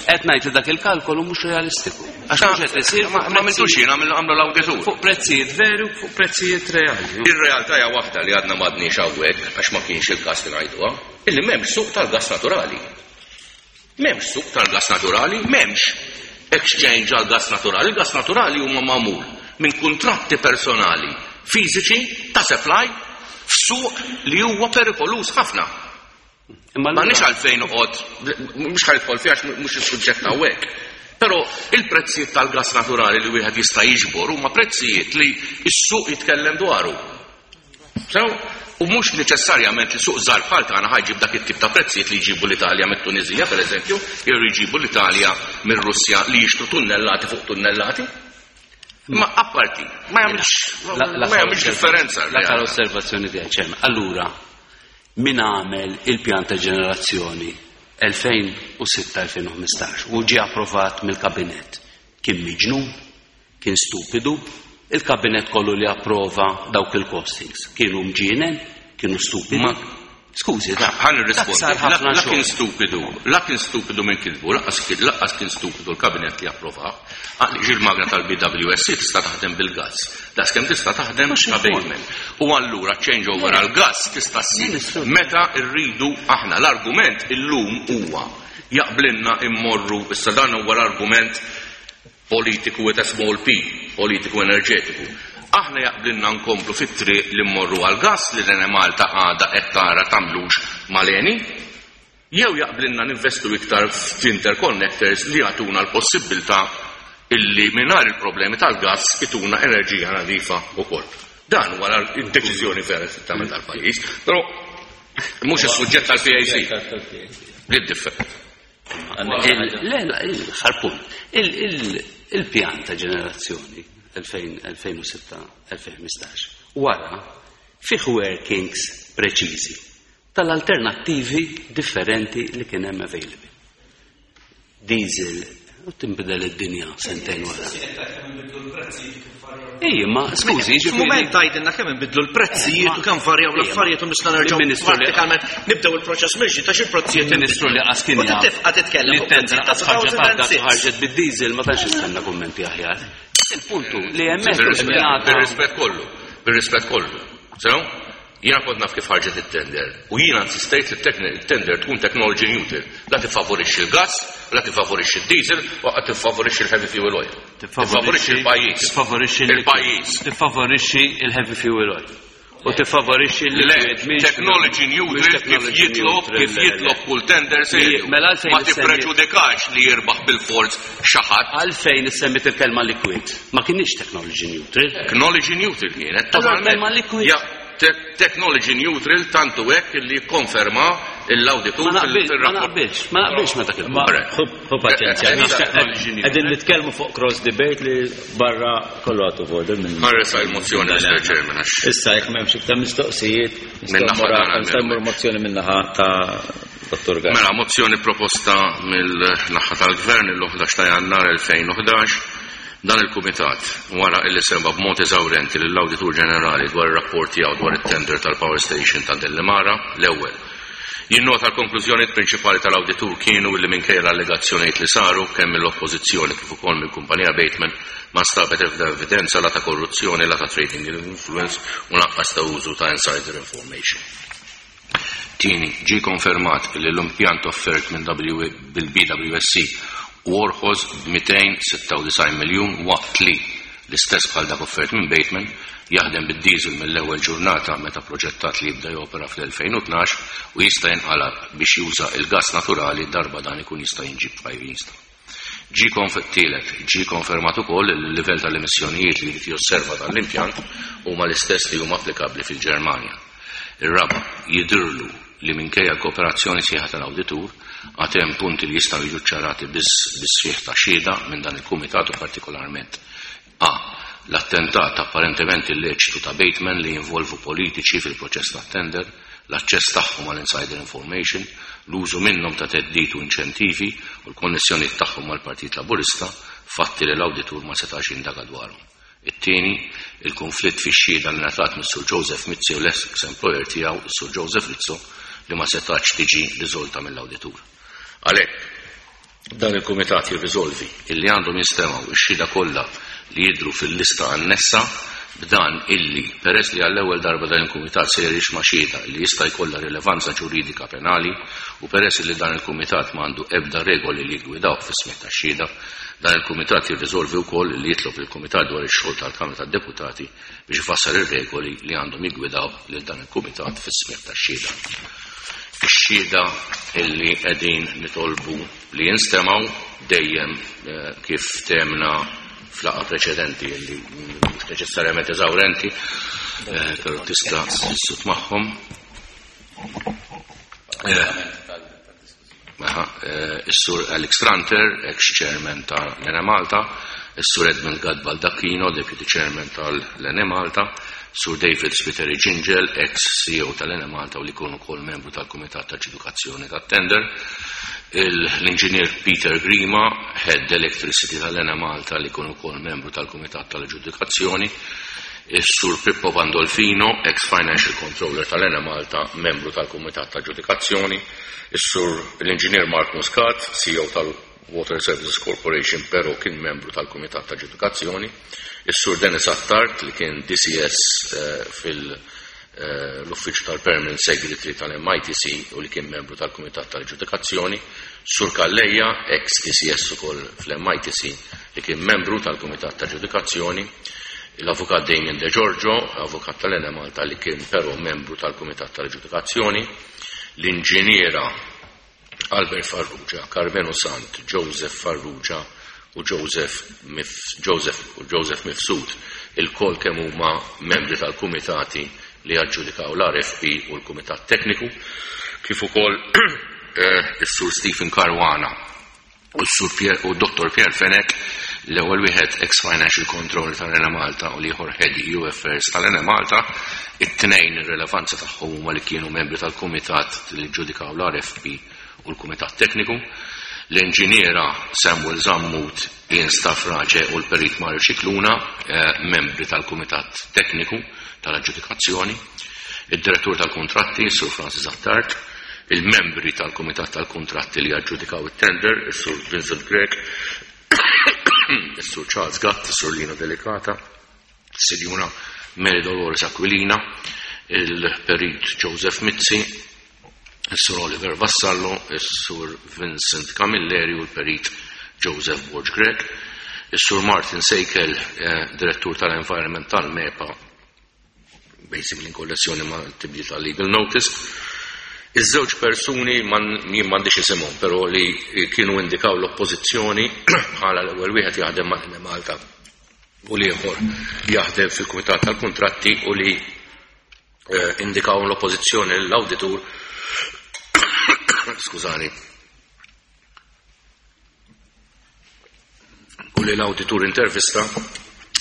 qed ngħid li dak il-kalkolu mhux realistiku. Għax mhux qed isir Ma għamiltux jien, għamlu l-awditur. Fuq prezzijiet veru, fuq prezzijiet reali. Ir-realtà hija waħda li għadna m'għadniex hawnhekk għax ma kienx il-każ li ngħiduha, illi m'hemmx suq tal-gas naturali. M'hemmx suq tal-gas naturali, m'hemmx exchange għal gas naturali. Il-gas naturali huma magħmul minn kuntratti personali fiżiċi ta' supply f'suq li huwa perikolus ħafna. Imma M'għandniex għalfejn noqgħod, mhux ħa nidħol fiha għax mhux is-suġġett hawnhekk. Però il-prezzijiet tal-gas naturali li wieħed jista' jiġbor huma prezzijiet li s-suq jitkellem dwaru. So, u mhux neċessarjament li suq żgħar bħal tagħna ħa jġib dak it-tip ta' prezzijiet li jġibu l-Italja mit-Tunisija, pereżempju, jew jġibu l-Italja mir-Russja li jixtru tunnellati fuq tunnellati. Ma apparti, ma jagħmilx ma jagħmilx differenza. L-aħħar osservazzjoni tiegħi, Chairman. Allura, min għamel il-pjan ta' ġenerazzjoni elfejn u sitta-elfejn u ħmistax u ġie approvat mill-kabinet kien miġnun, kien stupidu, il-kabinet kollu li approva dawk il-costings kienu mġienen, kienu stupidi. Ma- Skużi, da. Ħa nirrispondi. Dak sar ħafna La kien xogħol. stupidu, la kien stupidu minn kitbu, lanqas kien lanqas kien stupidu l-kabinet li approva. Għaliex il-magna tal-B W S C tista' taħdem bil-gas. Daqskemm tista' taħdem Mhux ta' il-punt. Bateman. U allura change over għal-gas tista' ssir Ministru. meta rridu aħna. L-argument illum huwa jaqblinna immorru, issa dan huwa l-argument politiku with a small p, politiku enerġetiku. Aħna jaqblinna nkomplu fit-triq li mmorru għal-gas li l-Enemalta għada qed tara tagħmlux mal-Eni, jew jaqblinna ninvestu iktar f'interconnectors li jagħtuna l-possibilità illi mingħajr il-problemi tal-gas ituna enerġija nadifa wkoll. Dan huwa l-deċiżjoni vera li tagħmel tal-pajjiż, però mhux is-suġġett tal-P A C. Li different. Il- Le, le, l-aħħar punt. Il- il- Il-pjan ta' ġenerazzjoni elfejn u sitta-elfejn u ħmistax wara fih workings preċiżi tal-alternattivi differenti li kien hemm available. Diesel, u tinbidel id-dinja sentejn wara. Ejja, ma skużi, ġifieri- F'mument tgħidilna kemm inbidlu l-prezzijiet u kemm varjaw l-affarijiet u nista' nerġgħu Il-Ministru li- prattikament nibdew il-proċess mill-ġdid għax il-prezzijiet Il-Ministru li qas kien U tibqa' titkellem li fuq tendra prezzijiet ta' qas ħarġet għadha duemilasette. ħarġet bid-diesel, ma tantx istenna kummenti aħjar. Il-puntu li hemmhekk Bir-rispett bir-rispett kollu, bir-rispett kollu. So, jiena kont naf kif ħarġet it-tender u jiena insistejt li t-tender tkun technology neutral. La tiffavorixxi il-gas, la tiffavorixxi il-diesel u qed tiffavorixxi il-heavy fuel oil. Tiffavorixxi il-pajjiż. Tiffavorixxi Il-pajjiż. Tiffavorixxi il-heavy fuel oil. U tiffavorixxi Le, l-liquid mhix- technology mhix neutral kif technology jitlob, neutral, kif le, le. jitlob kull tender serju. Mela għalfejn Ma issemmi- tippreġudikax li jirbaħ bil-forz xi ħadd. Għalfejn issemmit il-kelma liquid. Ma kienx technology neutral. Technology neutral kienet. Allora, Totalment. kelma liquid. Ja, te- technology neutral tantu hekk li konferma l-awditur Ma naqbilx, ma fil-rapport. naqbilx, ma naqbilx ma dak il Ma ħu paċenzja. Eh, eh, Qegħdin nitkellmu fuq cross debate li barra kollu għatu order minn. Ħarresa il-mozzjoni, Mister Chairman, għax Issa jekk m'hemmx iktar mistoqsijiet, Min-naħa tagħna nistgħu mmur mozzjoni min-naħa ta' Dottor Gatt. Mela, mozzjoni proposta mill-naħa tal-Gvern il-ħdax ta' Jannar elfejn u ħdax. Dan il-Kumitat, wara illi sema b'mod eżawrenti lill-Awditur Ġenerali dwar ir-rapport tiegħu dwar it-tender tal-Power Station ta' Delimara, l-ewwel. Jinnota l-konklużjonijiet prinċipali tal-awditur kienu li minkejja l-allegazzjonijiet li saru kemm mill-oppożizzjoni kif ukoll mill-kumpanija Bateman ma nstabet ebda evidenza la ta' korruzzjoni, la ta' trading influence u lanqas ta' użu ta' insider information. Tieni, ġi konfermat li l-impjant offert minn bil-B W S C u orħos b'mitejn u sitta u disgħin miljun waqt li l-istess bħal dak offert minn Bateman jaħdem bid-diesel mill-ewwel ġurnata meta proġettat li jibda jopera fl-elfejn u tnax u jista' jinqalab biex juża il-gas naturali darba dan ikun jista' jinġib f'pajjiżna. Ġi tielet, ġi konfermat ukoll li l-livell tal-emissjonijiet li jrid josserva dan l-impjant huma l-istess li huma applikabbli fil-Ġermanja. Ir-raba, jidhirlu li minkejja l-kooperazzjoni sħiħa tal-awditur għad hemm punti li jistgħu jiġu ċarati biss bis-sħiħ ta' xhieda minn dan il-kumitat u partikolarment A. L-attentat apparentement illeċitu ta' Bateman li jinvolvu politiċi fil-proċess ta' tender, l-aċċess tagħhom għal insider information, l-użu minnhom ta' theddid u inċentivi u l-konnessjoni tagħhom mal-Partit Laburista, fatti li l-awditur ma setax jindaga dwarhom. It-tieni, il-konflitt fix-xhieda li ngħatat mis-Sur Joseph Mizzi u l-ex employer tiegħu, is-Sur Joseph Rizzo, li ma setax tiġi riżolta mill-awditur. Għalhekk, dan il-kumitat jirriżolvi illi għandhom jinstemgħu ix-xhieda kollha li jidhru fil-lista annessa, b'dan illi peress li għall-ewwel darba dan il-kumitat se jisma' xhieda li jista' jkollha rilevanza ġuridika penali u peress li dan il-kumitat m'għandu ebda regoli li jgwidaw fis-smigħ tax-xhieda, dan il-kumitat jirriżolvi wkoll li jitlob il-Kumitat dwar ix-xogħol tal-Kamra tad-Deputati biex ifassal ir-regoli li għandhom jiggwidaw lil dan il-kumitat fis-smigħ tax-xhieda. Ix-xhieda illi qegħdin nitolbu li jinstemgħu dejjem eh, kif temna f'laqgħa preċedenti illi mhux neċessarjament eżawrenti, eh, però tista' tissut magħhom. Eh, aha, eh, Is-Sur Alex Tranter, ex-chairman tal-Enemalta, is-Sur Edmund Gatt Baldacchino, deputy chairman tal-Enemalta, Sur David Spiteri Gingell, ex-C E O tal-Enemalta u li kien ukoll membru tal-Kumitat ta' Aġġudikazzjoni tat-Tender, l-Inġinier Peter Grima, Head Electricity tal-Enemalta li kien ukoll membru tal-Kumitat tal-Aġġudikazzjoni, is-Sur Pippo Pandolfino, ex-Financial Controller tal-Enemalta, membru tal-Kumitat ta' Aġġudikazzjoni, is-Sur l-Inġinier Mark Muscat, C E O tal-Water Services Corporation, pero kien membru tal-Kumitat ta' Aġġudikazzjoni, is-Sur Dennis Attard li kien D C S eh, fil- eh, l-Uffiċċju tal-Permanent Secretary tal-M I T C u li kien membru tal-Kumitat tal-Aġġudikazzjoni, Sur Calleja, ex-D C S ukoll fl-M I T C li kien membru tal-Kumitat tal-Aġġudikazzjoni, l-Avukat Damien De Giorgio, avukat tal-Enemalta li kien però membru tal-Kumitat tal-Aġġudikazzjoni, l-inġiniera Albert Farrugia, Carmelo Sant, Joseph Farrugia u Joseph, Mif, Joseph, u Joseph Mifsud, ilkoll kemm huma membri tal-kumitati li aġġudikaw l-R F P u l-Kumitat Tekniku, kif ukoll eh, is-Sur Stephen Caruana u s-Sur Pierre u Dottor Pierre Fenech, l-ewwel wieħed ex-Financial Controller tal-Enemalta u l-ieħor Head E U Affairs tal-Enemalta, it-tnejn ir-relevanza tagħhom huma li kienu membri tal-Kumitat li ġudikaw l-R F P u l-Kumitat Tekniku, l-inġiniera Samuel Zammut, Ian Stafrace u l-Perit Mario Scicluna, eh, membri tal-Kumitat Tekniku tal-Aġġudikazzjoni, id-Direttur tal-Kontratti, Sur Francis Attard, il-membri tal-Kumitat tal-Kontratti li aġġudikaw it-tender, is-Sur Vincent Grech, is-Sur Charles Gatt, is-Sur Lino Delicata, is-Sinjura Mary Dolores Aquilina, il-Perit Joseph Mizzi, is-Sur Oliver Vassallo, is-Sur Vincent Camilleri u l-Perit Joseph Borg Grech, is-Sur Martin Seikel, eh, Direttur tal-Environment tal-MEPA, basically in konnessjoni ma' tibdil tal-legal notice. Iż-żewġ persuni man jien m'għandix isimhom, però li kienu indikaw l-oppożizzjoni bħala l-ewwel wieħed jaħdem ma' Malta u l-ieħor jaħdem fil-Kumitat tal-Kuntratti u li eh, indikaw l-oppożizzjoni l-awditur, skużani, u li l-awditur intervista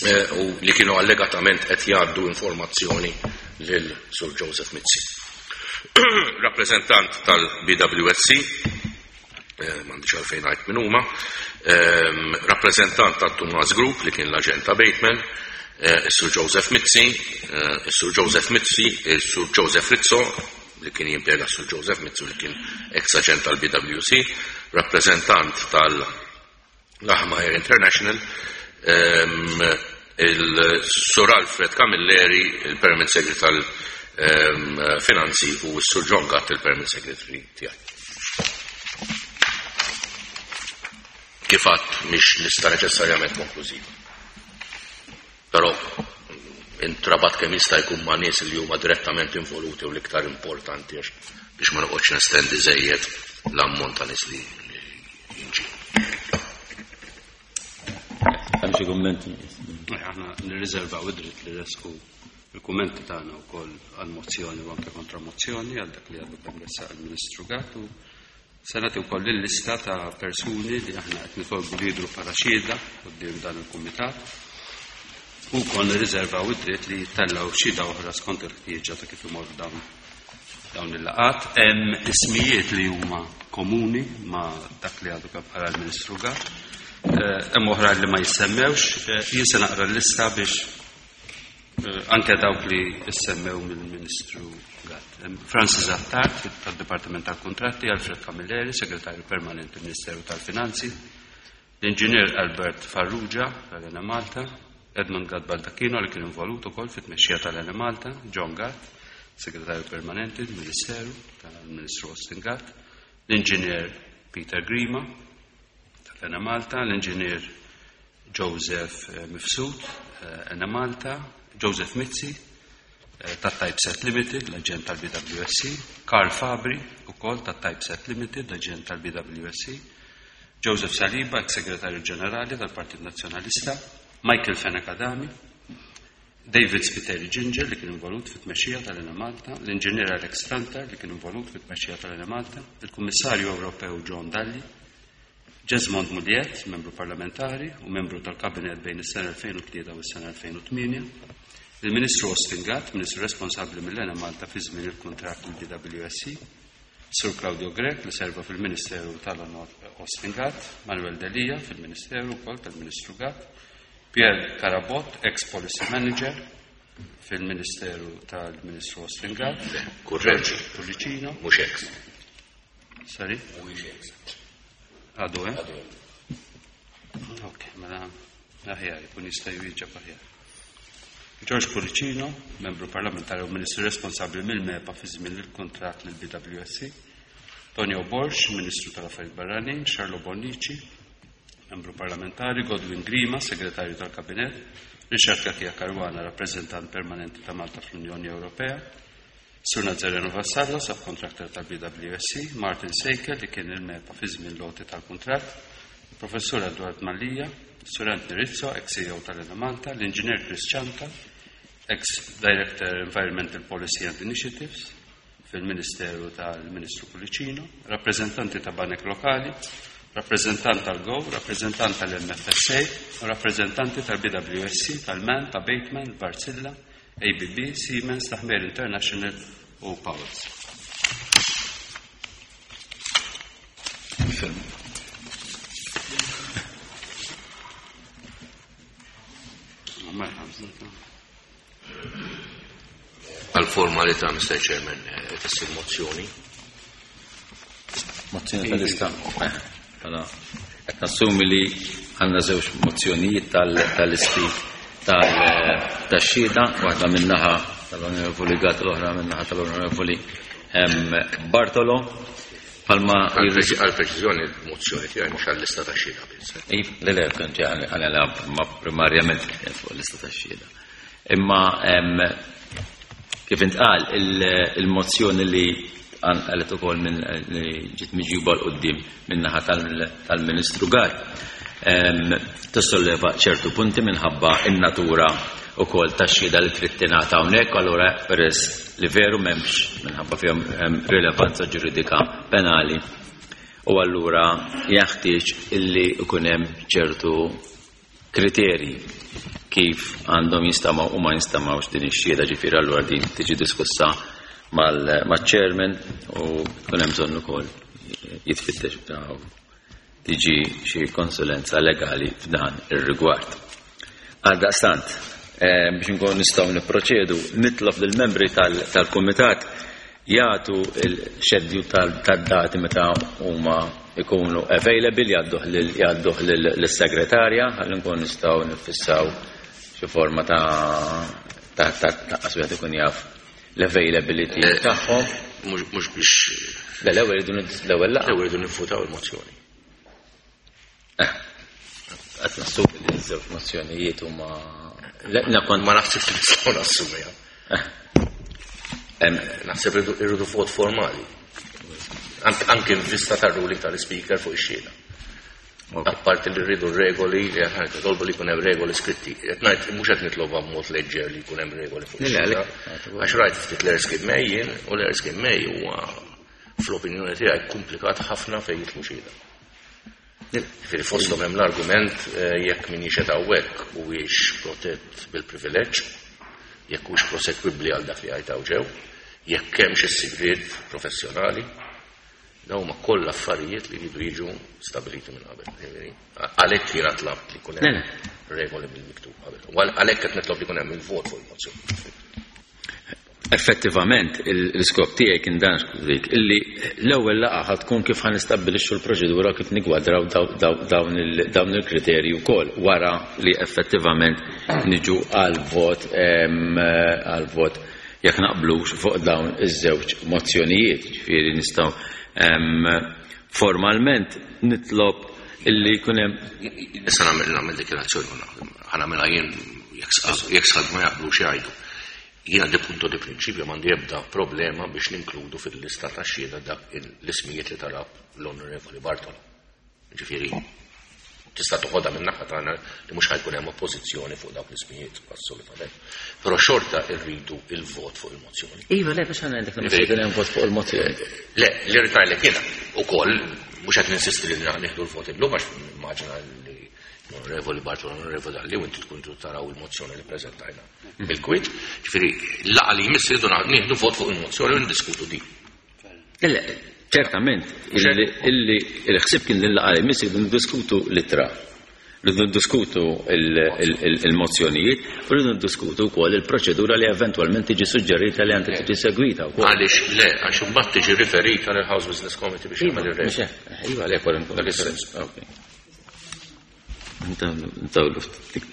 eh, u li kienu allegatament qed jgħaddu informazzjoni lil Sur Joseph Mizzi. Rappresentant tal-B W S C, eh, m'għandix għalfejn ngħid min huma, ehm, rappresentant tal-Tumas Group li kien l-aġent ta' Bateman, eh, is-Sur Joseph Mizzi, eh, is-Sur Joseph Mizzi, is-Sur Joseph Rizzo, li kien jimpjega Sur Joseph Mizzi li kien ex-aġent tal-B W C, rappresentant tal-Lahmeyer International, ehm, il-Sur Alfred Camilleri, il-Permanent Secretary tal-Finanzi u s-Sur John Gatt, il-Permanent Secretary tiegħi. Kif għedt, mhix lista neċessarjament konklużiva. Però intrabat kemm jista' jkun ma' nies li huma direttament involuti u l-iktar importanti għax biex ma noqgħodx nestendi żejjed l-ammont ta' nies li li jinġi. Hemm xi kummenti? Aħna nirriservaw id-dritt li nressqu il-kummenti tagħna wkoll għal-mozzjoni u anke kontra-mozzjoni għal dak li għadu kemm ressaq il-Ministru Gatt u se nagħti wkoll il-lista ta' persuni li aħna qed nitolbu li jidhru bħala xhieda quddiem dan il-kumitat. U wkoll nirriservaw id-dritt li jittellgħu xhieda oħra skont il-ħtieġa ta' kif imorru dawn dawn il-laqgħat. Hemm ismijiet li huma komuni ma' dak li għadu kemm qara l-Ministru Gatt. Eh, Hemm oħra li ma jissemmewx, Eh, jien se naqra l-lista biex eh, anke dawk li issemmew mill-Ministru Gatt. Hemm Francis Attard tad-Dipartiment tal-Kontratti, Alfred Camilleri, Segretarju Permanenti Ministeru tal-Finanzi, l-Inġinier Albert Farrugia tal-Enemalta, Edmund Gatt Baldacchino li kien involut ukoll fit-tmexxija tal-Enemalta, John Gatt, Segretarju Permanenti Ministeru tal-Ministru Austin Gatt, l-Inġinier Peter Grima tal-Enemalta, l-Inġinier Joseph eh, Mifsud, eh, Enemalta, Joseph Mizzi, ta' Typeset Limited, l-aġent tal-B W S C, Karl Fabri, ukoll ta' Typeset Limited, l-aġent tal-B W S C, Joseph Saliba, ex-segretarju ġenerali tal-Partit Nazzjonalista, Michael Fenech Adami, David Spiteri Ginger li kien involut fit-tmexxija tal-Enemalta, l-Inġinier Alex Tranter li kien involut fit-tmexxija tal-Enemalta, il-Kummissarju Ewropew John Dalli, Jesmond Mugliett, membru parlamentari u membru tal-Kabinet bejn is-sena elfejn u tlieta u s-sena elfejn u tmienja, il-Ministru Austin Gatt, Ministru responsabbli mill-Enemalta fi żmien il-kuntratt mill-B W S C, Sur Claudio Grech li serva fil-Ministeru tal-Onor Austin Gatt, Manuel Delia fil-Ministeru wkoll tal-Ministru Gatt, Pierre Carabott, ex-Policy Manager fil-Ministeru tal-Ministru Austin Gatt, Kurreġi. Pullicino, Mhux ex. Sorry? Mhuwiex ex. Għadu, eh? Għadu. Ok, mela aħjar, ikun jista' jwieġeb aħjar. George Pullicino, membru parlamentari u ministru responsabbli mill-MEPA fi żmien il-kuntratt lil B W S C, Tonio Borg, Ministru tal-Affarijiet Barranin, Charlo Bonnici, membru parlamentari, Godwin Grima, segretarju tal-Kabinet, Richard Cachia Caruana, rappresentant permanenti ta' Malta fl-Unjoni Ewropea, Sur Nazareno Vassallo, subcontractor tal-B W S C, Martin Seikel, li kien il-MEPA fi żmien l-għoti tal-kuntratt, Professur Edward Mallia, Sur Anthony Rizzo, ex-C E O tal-Enemalta, l-Inġinier Chris Ciantar, ex-Director Environmental Policy and Initiatives fil-Ministeru tal-Ministru Pullicino, rappresentanti ta' banek lokali, rappresentant tal-GO, rappresentant tal-M F S A, u rappresentanti tal-B W S C, tal-MAN, ta' Bateman, Wärtsilä, A B B, Siemens, Tahmir International u Powers. Film. Merħba. Għal-formalità, Mister Chairman, eh, tissir mozzjoni. Mozzjoni tal-lista. Mela, qed nassumi li għandna żewġ mozzjonijiet tal-listi tax-xhieda, waħda min-naħa tal-Onorevoli Gatt, l-oħra min-naħa tal-Onorevoli Bartolo. Palma Għal-preċiżjoni, mozzjoni tiegħi mhux għal-lista tax-xhieda biss. Le, le, kont għana ma primarjament kienet fuq l-lista tax-xhieda. Imma kif intqal, il-mozzjoni li għalet ukoll minn li ġiet miġjuba 'l quddiem min-naħa tal-Ministru Gatt tissolleva ċertu punti minħabba in-natura ukoll tax-xhieda li trid tingħata hawnhekk, allura peress li veru m'hemmx minħabba fihom rilevanza ġuridika penali u allura jeħtieġ illi ikun hemm ċertu kriterji kif għandhom jinstamaw u ma jinstamawx din ix-xhieda, ġifieri allura din tiġi diskussa mal-chairman u kun hemm bżonn ukoll jitfittex tiġi xi konsulenza legali f'dan ir-rigward. Għaldaqstant, eh, biex nkun nistgħu nipproċedu, nitlob lill-membri tal-kumitat jagħtu il-xedju tad-dati meta huma ikunu available, jgħadduh lis-segretarja ħalli nkun nistgħu nifissaw xi forma ta' ta' ta' wieħed ikun jaf l-availability Eh, tagħhom. Mhux biex. Le, l-ewwel irridu l-ewwel laqgħa. L-ewwel irridu nifutaw il-mozzjoni. Eh, qed nassumi li ż-żewġ mozzjonijiet huma Ma naħsibx li nistgħu nassumiha. Eh. Naħseb irridu vot formali. Anke in vista tar-ruling tal-speaker fuq ix-xhieda. Apparti li rridu regoli, li qed nitolbu li jkun hemm regoli skritti. Qed ngħid mhux qed nitlobu b'mod leġġer li jkun hemm regoli fuq ix-xhieda. Għax rajt ftit l-Erskine May jien, u l-Erskine May huwa fl-opinjoni tiegħi komplikat ħafna fejn jidħlu xhieda. Ġifieri fosthom hemm l-argument eh, jekk min jixhed hawnhekk huwiex protett bil-privileġġ, jekk hux prosekwibbli għal dak li għajtaw ġew, jekk hemmx is-sigriet professjonali, dawn huma kollha affarijiet li jridu jiġu stabiliti minn qabel. Ġifieri, għalhekk jiena tlabt li jkun hemm regoli bil-miktub qabel. U għalhekk qed nitlob li jkun hemm il-vot fuq il-mozzjoni. Effettivament, l-iskop tiegħi kien dan dik illi l-ewwel laqgħa ħa tkun kif ħa nistabbilixxu l-proċedura, kif nigwadraw dawn il-kriterji wkoll wara li effettivament niġu għal vot għal vot jekk naqblux fuq dawn iż-żewġ mozzjonijiet. Ġifieri nistgħu formalment nitlob illi jkun hemm Issa nagħmel nagħmel dikjarazzjoni, ħa nagħmilha jien, jekk sħab ma jaqblux jgħidu. Jiena di punto di prinċipju m'għandi ebda problema biex ninkludu fil-lista ta' xhieda dak l-ismijiet li talab l-Onorevoli Bartolo. Ġifieri, tista' toħodha minn naħa tagħna li mhux ħajkun hemm oppożizzjoni fuq dawk l-ismijiet, assolutament. Però xorta rridu il-vot fuq il-mozzjoni. Iva, le, biex ngħidlek li mhux jkun hemm vot fuq il-mozzjoni. Le, li rrid ngħidlek jiena ukoll mhux qed ninsisti li nieħdu l-vot illum għax nimmaġina li l-Onorevoli Bartolo, l-Onorevoli Dalli, u inti tkun taraw il-mozzjoni li preżentajna bil-kwit. Ġifieri, l-laqgħa li jmiss irridu nieħdu vot fuq il-mozzjoni u ndiskutu di. Le, ċertament, illi il-ħsieb kien li l-laqgħa li jmiss irridu ndiskutu l-ittra, rridu ndiskutu il-mozzjonijiet u rridu ndiskutu wkoll il-proċedura li eventwalment tiġi suġġerita li għandha tiġi segwita wkoll. Għaliex le, għax imbagħad tiġi riferita lill House Business Committee biex jagħmel ir-rest. Iva, le kwalunkwe.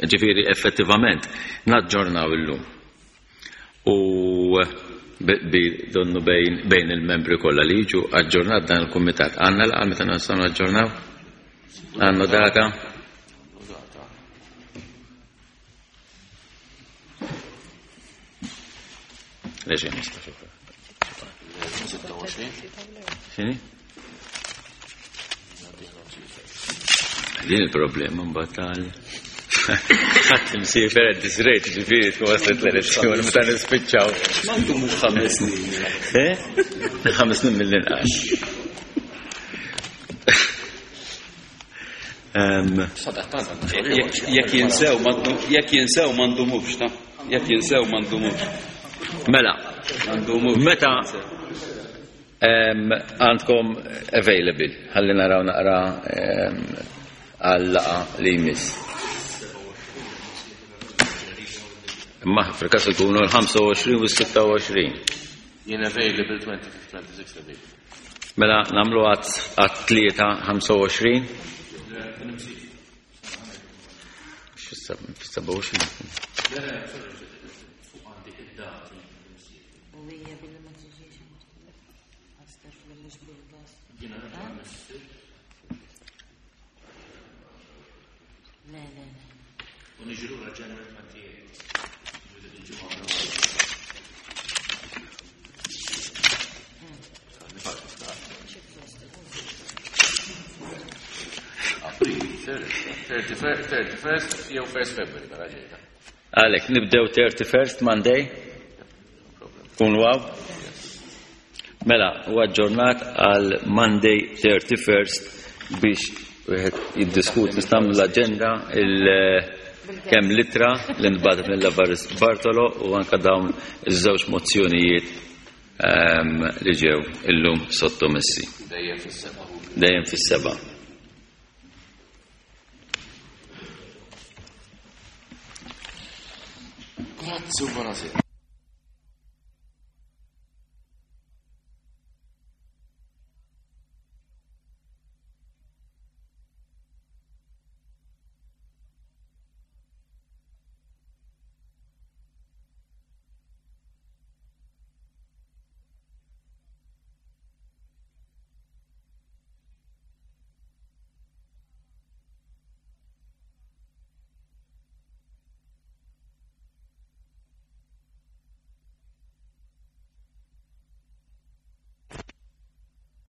Ġifieri effettivament naġġornaw illum. U donnu bejn il-membri kollha li jiġu aġġornat dan il-kumitat. Għandna laqgħa meta nistgħu naġġornaw? Għandna data? Leġi nista' X'inhi? Din il-problema mbagħad tal ħadd imsiefer at this rate, ġifieri tkun waslet l-elezzjoni meta nispiċċaw. M'għandu mhux ħames snin. Eh? Ħames snin mill-inqas. Jekk jinsew jekk jinsew m'għandhomux, ta' jekk jinsew m'għandhomux. Mela, meta għandkom available, ħalli naraw naqra għal-laqa li jmiss. Imma fil-każ ikunu l-ħamsa u għoxrin u s-sitta u għoxrin. Jien available twenty-fifth, twenty-sixth available. Mela nagħmlu għat-tlieta ħamsa u għoxrin. Fis-seba' u għoxrin. thirty-first jew first February mela ġejta. Għalek, nibdew thirty-first Monday? Kun waw? Mela, u aġġornat għal Monday thirty-first biex wieħed jiddiskuti nistgħu l-aġenda il kemm litra li nbagħtet mill-Lavaris Bartolo u anke dawn iż-żewġ mozzjonijiet li ġew illum sottomessi. Dejjem fis-seba'. Dejjem fis-seba'. Grazzi u buonasera.